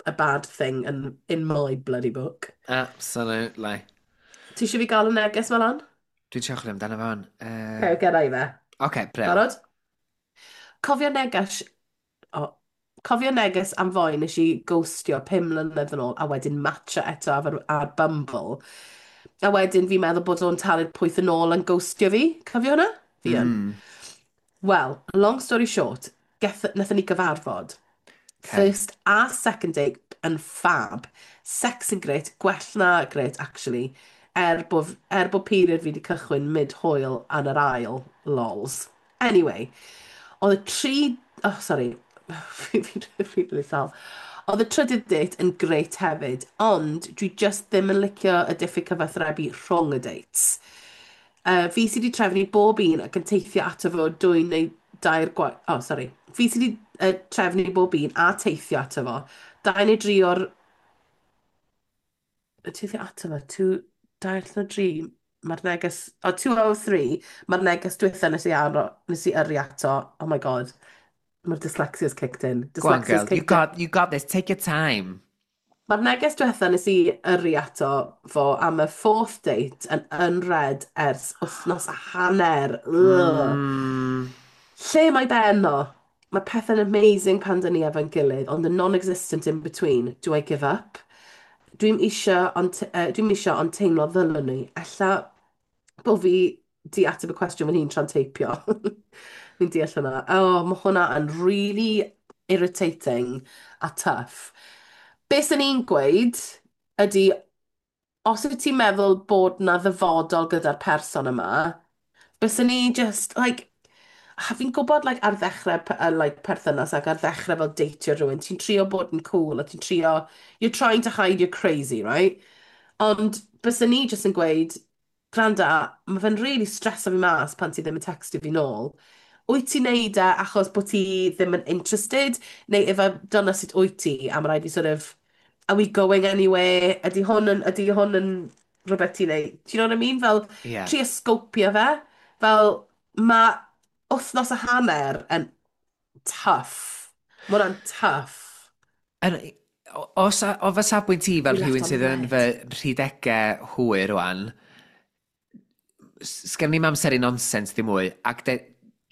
a bad thing in my bloody book. Absolutely. Ti eisiau fi gael y neges fel lan? Dwi'n trio chwilio amdano fo. Okay, gera i fe. Okay, brill. Barod? Cofio neges... O, cofio neges am foi nes i ghostio 5 mlynedd yn ôl a wedyn matcho eto ar Bumble. A wedyn fi'n meddwl bod o'n talu'r pwyth yn ôl yn ghostio fi. Cofio hwnna? Fi yn. Well, long story short, nathon ni gyfarfod. First a second date yn fab. Sex yn great, gwell na great, actually. Er bod period fi wedi cychwyn mid-hwyl yn yr ail, lols. Anyway, oedd y tri... Oh, sorry. Fi'n really sal. Oedd y trydydd date yn great hefyd, ond dwi just ddim yn licio y diffyg cyfathrebu rhwng y dates. Fi sydd wedi trefnu bob un ac yn teithio ato fo dwy neu dair gwaith. Oh, sorry. Fi sydd wedi trefnu bob un a teithio ato fo. Dau neu dri o'r... Teithio ato fo, two, dair neu dri, mae'r neges... Oh, 203, mae'r neges dwytha nes i yrru ato. Oh my God. Mae'r dyslexia's kicked in. Go on, Dyslexia's girl. You kicked in. got, you got this. Take your time. Mae'r neges diwetha nes i yrru ato fo am y fourth date yn unread ers wythnos a hanner. Ugh. Lle mae Ben o? Mae pethau'n amazing pan dyn ni efo'n gilydd, ond yn non-existent in between. Do I give up? Dwi'n isio ond teimlo ddylwn ni. Ella bo fi di ateb y cwestiwn fan hyn tra'n teipio. Fi'n deall hwnna. Oh, mae hwnna yn really irritating a tough. Be sy'n ni'n gweud ydy, os wyt ti'n meddwl bod na ddyfodol gyda'r person yma, byswn ni just, like, a fi'n gwybod, like, ar ddechrau like, perthynas ac ar ddechrau fel deitio rhywun, ti'n trio bod yn cool a ti'n trio, you're trying to hide you're crazy, right? Ond byswn ni just yn gweud, "Gwranda, mae fe'n really streso fi mas pan ti ddim yn textio fi nôl. Wyt ti'n neud e achos bod ti ddim yn interested? Neu ife dyna sut wyt ti?" A mae rhaid i sort of, are we going anywhere? Ydy hwn yn rhywbeth ti'n neud? Do you know what I mean? Fel, trio scopio fe. Fel, mae wythnos a hanner yn tough. Mae hwnna'n tough. Yn, o fy safbwynt i fel We left rhywun on sydd yn fy red. rhidegau hwyr rwan, sgen ni'm amser i nonsens ddim mwy, ac de,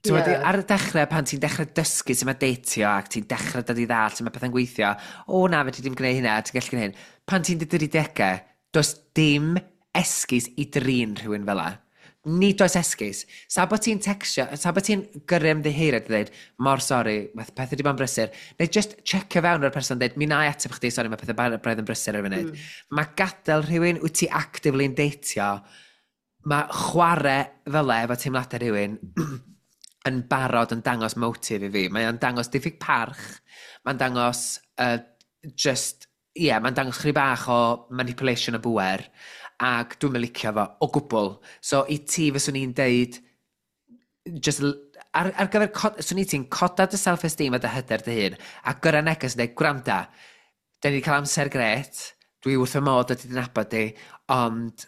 ti'n gwbod, ar y dechrau pan ti'n dechrau dysgu sut mae deitio ac ti'n dechrau dod i ddall sut mae pethau'n gweithio, "O na, fedri dim gwneud hynna, ti'n gallu gwneud hyn." Pan ti'n dy dridegau, does dim esgus i drin rhywun fel 'a. Nid oes esgus. Sa bod ti'n textio, sa bod ti'n gyrru ymddiheuriad a dweud, "Mor sori, mae pethau wedi bod yn brysur," neu just checio fewn o'r person dweud, "Mi na i ateb chdi, sori, mae pethau braidd yn brysur ar y funud." Mae gadael rhywun wyt ti actively'n deitio, mae chwarae fel e efo teimladau rhywun yn barod yn dangos motif i fi. Mae o'n dangos diffyg parch, mae'n dangos just, ie, yeah, mae'n dangos chydig bach o manipulation o bwer, ac dwi'n mynd licio fo o gwbl. So i ti fyswn i'n deud, just ar gyfer, swn i ti'n coda dy self-esteem a dy hyder dy hun, a gyrra neges yn dweud, "Gwranda, da ni wedi cael amser gret, dwi wrth fy modd dod i nabod di, ond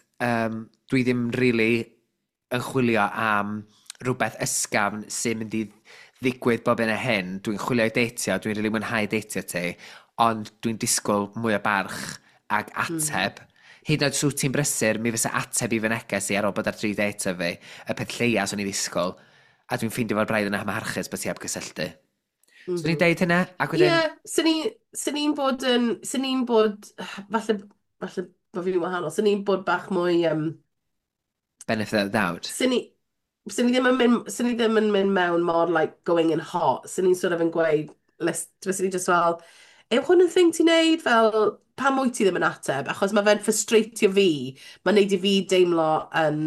dwi ddim really yn chwilio am rhywbeth ysgafn sy'n mynd i ddigwydd bob un a hyn. Dwi'n chwilio i deitio, dwi'n rili really mwynhau deitio ti, ond dwi'n disgwyl mwy o barch ag ateb." Hyd yn oed os wyt ti'n brysur, mi fysa ateb i fy neges i ar ôl bod ar 3 date o fi, y peth lleia swn i ddisgwyl, a dwi'n ffeindio fo'r braidd yn amharchus bod ti heb gysylltu. So ni'n deud hynna, ac Ie, wedyn, yeah, sy'n ni'n bod, falle bod fi'n wahanol, sy'n ni'n bod bach mwy, benefit of the doubt. sy'n ni, sy'n ni ddim yn mynd mewn mor, like, going in hot, sy'n ni'n sort of yn gweud, list, sy'n ni just fel, yw hwn yn thing ti'n neud, fel, pam wyt ti ddim yn ateb? Achos mae fe'n frustratio fi, mae'n neud i fi deimlo yn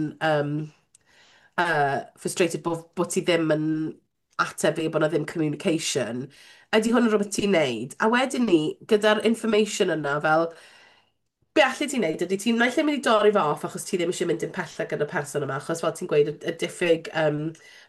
frustrated bod ti ddim yn ateb fi, bod 'na ddim communication. Ydy hwn yn rhywbeth ti'n neud? A wedyn ni, gyda'r information yna, fel, be allu ti wneud ydy ti'n naill ai mynd i dorri fe off achos ti ddim eisiau mynd yn pellach gyda'r person yma, achos fel ti'n gweud, y diffyg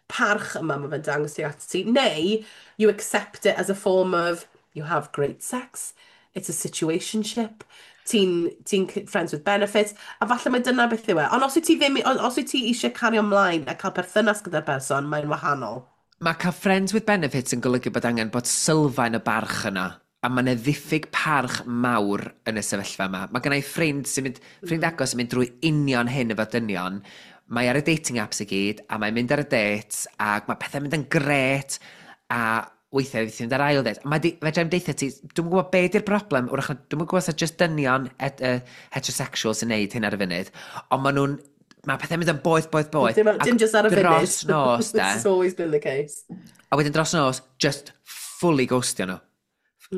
parch yma mae fe'n dangos ti at ti, neu you accept it as a form of you have great sex, it's a situationship, ti'n friends with benefits, a falle mae dyna beth yw e. Ond os wyt ti ddim, os wyt ti eisiau cario ymlaen a cael perthynas gyda'r person, mae'n wahanol. Mae cael friends with benefits yn golygu bod angen bod sylfaen y barch yna. A mae yna ddiffyg parch mawr yn y sefyllfa yma. Mae gennau ffrind sy'n mynd, ffrind agos sy'n mynd drwy union hyn efo dynion. Mae ar y dating apps i gyd, a mae'n mynd ar y dates, ac mae pethau'n mynd yn gret, a weithiau fydd mynd ar ail date. A mae di, fedra i'm deutha ti, dwi'n gwybod be di'r broblem, wrach, dwi'n gwybod os just dynion heterosexual sy'n neud hyn ar y funud, ond maen nhw'n, mae pethau'n mynd yn boeth, boeth, boeth. Dim, ac dim just ar y funud. Dros nos, de. This has always been the case. A wedyn dros nos, just fully ghostio nhw.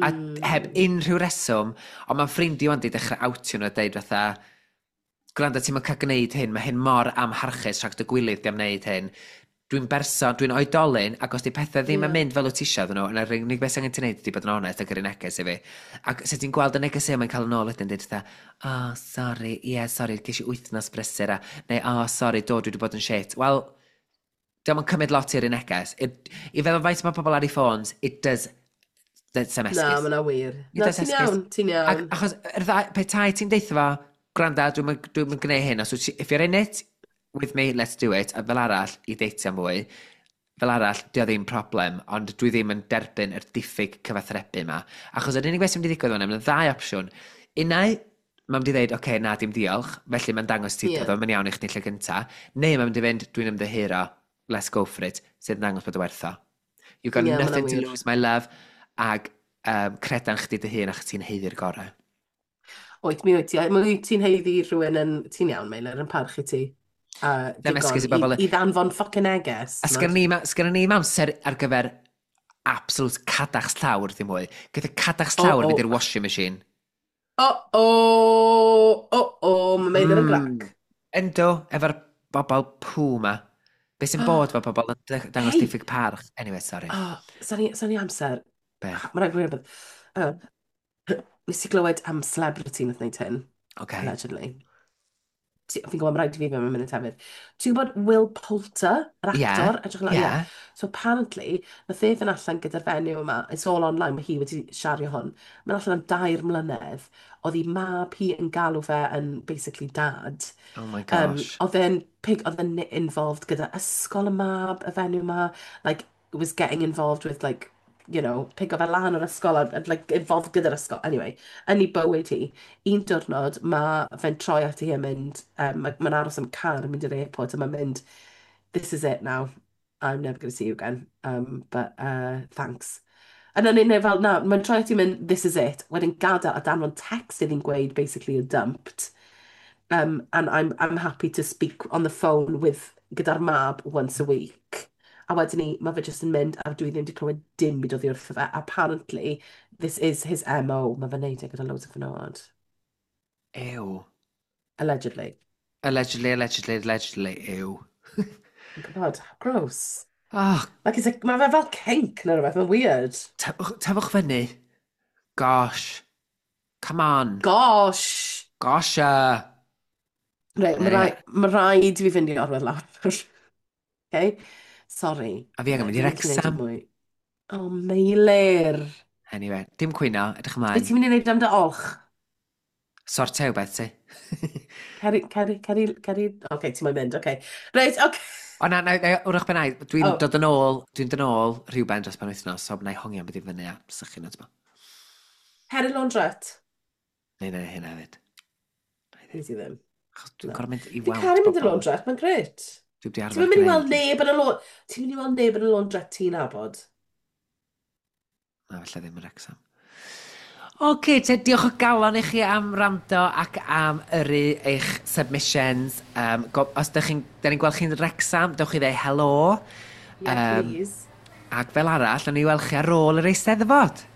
A heb unrhyw reswm, ond mae'n ffrindiau wan di dechrau outio nhw a deud fatha, "Gwrando, ti'n cael gwneud hyn, mae hyn mor amharchus rhag dy gwilydd di am wneud hyn. Dwi'n berson, dwi'n oedolyn, ac os di pethau ddim yn mynd fel wyt ti eisiau iddyn nhw, yna'r unig beth sy'n angen ti wneud ydy bod yn onest a gyrru neges i fi." Ac sut ti'n gweld y neges yma'n cael yn ôl wedyn, dweud fatha, "Oh, sorry, yeah, sorry, ges i wythnos brysur," a, neu, "Oh, sorry, do, dwi wedi bod yn shit." Wel, diolch yn cymryd lot i'r un neges. I feddwl faint mae pobl ar eu ffôns, it does, that's some Na, esgus. mae 'na wir. Nid Na, oes ti'n esgus. iawn, ti'n Ac, iawn. achos, yr ddau, petai ti'n deitha fo, "Gwranda, dwi'n dwi gwneud hyn, os wyt ti, if you're in it with me, let's do it," a fel arall, i deitio mwy, fel arall, di o ddim problem, ond dwi ddim yn derbyn yr diffyg cyfathrebu yma. Achos yr unig beth sy'n mynd i ddigwydd fan hyn, mae'n ddau opsiwn. Unai, mae'n mynd i ddeud, "Oce, okay, na, dim diolch," felly mae'n dangos ti bod o'n iawn i chdi lle gynta. Neu mae'n mynd i fynd, "Dwi'n ymddiheuro, let's go for it," sydd yn dangos bod o werth o. You've got Ie, ma' hwnna'n nothing to wir. lose, my love, ag credan chdi dy hun achos ti'n haeddu'r gorau. Wyt, mi wyt ti. Mi wyt ti'n haeddu rhywun yn... Ti'n iawn, Meilir, yn parchu ti. A Ddim digon esgus i i, bobl i ddanfon fucking neges. A sgynnon ni, sgynnon ni amser ar gyfer absolute cadachs llawr ddim mwy. Gyda cadachs llawr O, o. fynd i'r washing machine. O, mae Meilir yn grac. Yndw, efo'r bobl pŵ ma. Be sy'n bod fo pobl yn dangos Hei! diffyg parch? Anyway, sorry. Oh, sa'n ni amser. Be? Mae'n rhaid gwneud rhywbeth. Nes i glywed am celebrity nath wneud hyn, allegedly. Fi'n gwybod, mae rhaid i fi mewn munud hefyd. Ti'n gwybod Will Poulter, yr actor? Edrych yn Ie. Yeah. So apparently, nath e fynd allan gyda'r fenyw yma, it's all online, mae hi wedi siario hwn. Mae'n allan am 3 mlynedd. Oedd ei mab hi yn galw fe yn basically dad. Oh my gosh. Oedd e'n pig, oedd e'n involved gyda ysgol y mab, y fenyw yma, like, was getting involved with, like, pigo fe lan o'r ysgol a like, involved gyda'r ysgol. Anyway, yn ei bywyd hi, un diwrnod mae fe'n troi at hi a mynd, mae'n aros am car yn mynd i'r airport a mae'n mynd, "This is it now. I'm never going to see you again. But thanks." A na, neu fel, na, mae'n troi at hi mynd, "This is it." Wedyn gadael a danfon text iddi'n gweud, basically, you're dumped. And I'm happy to speak on the phone with gyda'r mab once a week. A wedyn ni, mae fe jyst yn mynd, a dwi ddim wedi clywed dim byd oddi wrtho fe. Apparently, this is his MO. Mae fe'n neud e gyda loads o fenywod. Ew. Allegedly. Allegedly, allegedly, allegedly, ew. Yn gwybod, how gross. Oh, Like, it's like, mae fe fel kink neu rhywbeth, mae'n weird. Tyfwch fyny. Gosh. Come on. Gosh! Gosh, Reit, mae Anyway. rhaid i fi fynd i orwedd lawr. Okay? Sorry. A fi angen mynd i Dwi'n gallu neud Wrexham. mwy. Oh, Meilir. Anyway, dim cwyno, edrych Be ymlaen. ti'n mynd i wneud am dy olch? Sortio beth ti. Ceri, ceri, ceri, ceri. Oce, ti'n moyn mynd, oce. Reit, oce. O na, na, na, wrach ben dwi'n Oh. dod yn ôl, dwi'n dod yn ôl rhywben dros pen wythnos, so na i hongian beth i fyny a sychu nhw, ti'n Ceri laundrette. Neu, neu, hynna hefyd. Na i Nes i ddim. Achos dwi'n Na. gorfod mynd i Fi'n weld caru mynd i'r bobl. laundrette, mae'n grêt. Dwi wedi Ti'n arfer mynd i weld gwneud. neb yn y laundrette? Ti'n mynd i weld neb yn y laundrette ti'n nabod? Na, falle ddim yn Wrexham. Oce, te, diolch o galon i chi am wrando ac am yrru eich submissions. Os dych chi'n, da ni'n gweld chi'n Wrexham, dewch i ddeud helo. Yeah, please. Ac fel arall, nawn ni weld chi ar ôl yr Eisteddfod.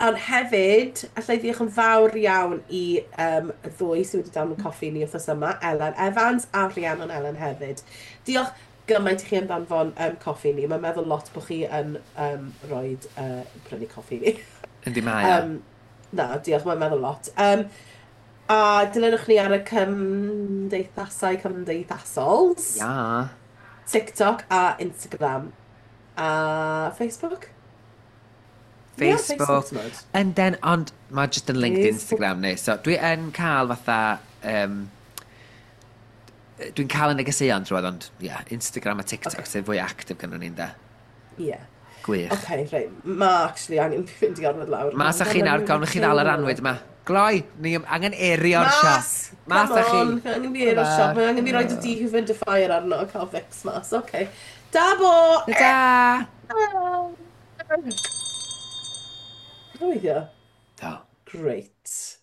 Ond hefyd, allai ddiolch yn fawr iawn i y ddwy sydd wedi danfon coffi ni wythnos yma, Ellen Evans a Rhiannon Ellen hefyd. Diolch gymaint i chi am danfon coffi ni. Mae'n meddwl lot bod chi yn rhoi prynu coffi ni. Yndi mae o. Na, diolch, mae'n meddwl lot. A dilynwch ni ar y cymdeithasau cymdeithasols. Ia. TikTok a Instagram. A Facebook? Ie, Facebook. T'mod. Ynden, ond mae jyst yn linked Facebook. Instagram ni. So dwi yn cael fatha... Dwi'n cael y negeseuon drwodd, ond ie, yeah, Instagram a TikTok sydd fwy actif gynnon ni'n de. Ie. Gwych. Oce, reit. Ma actually angen fi fynd i orfod lawr. Mas â chi nawr, gawn chi ddal yr anwyd yma. Gloi, ni angen aerio'r Mas! siop. Mas Come â chi. on, angen fi aerio'r siop. Mae angen fi roid y dehumidifier arno a cael fix mas. Oce. Da bo! Ta! Weithio. Do. Great.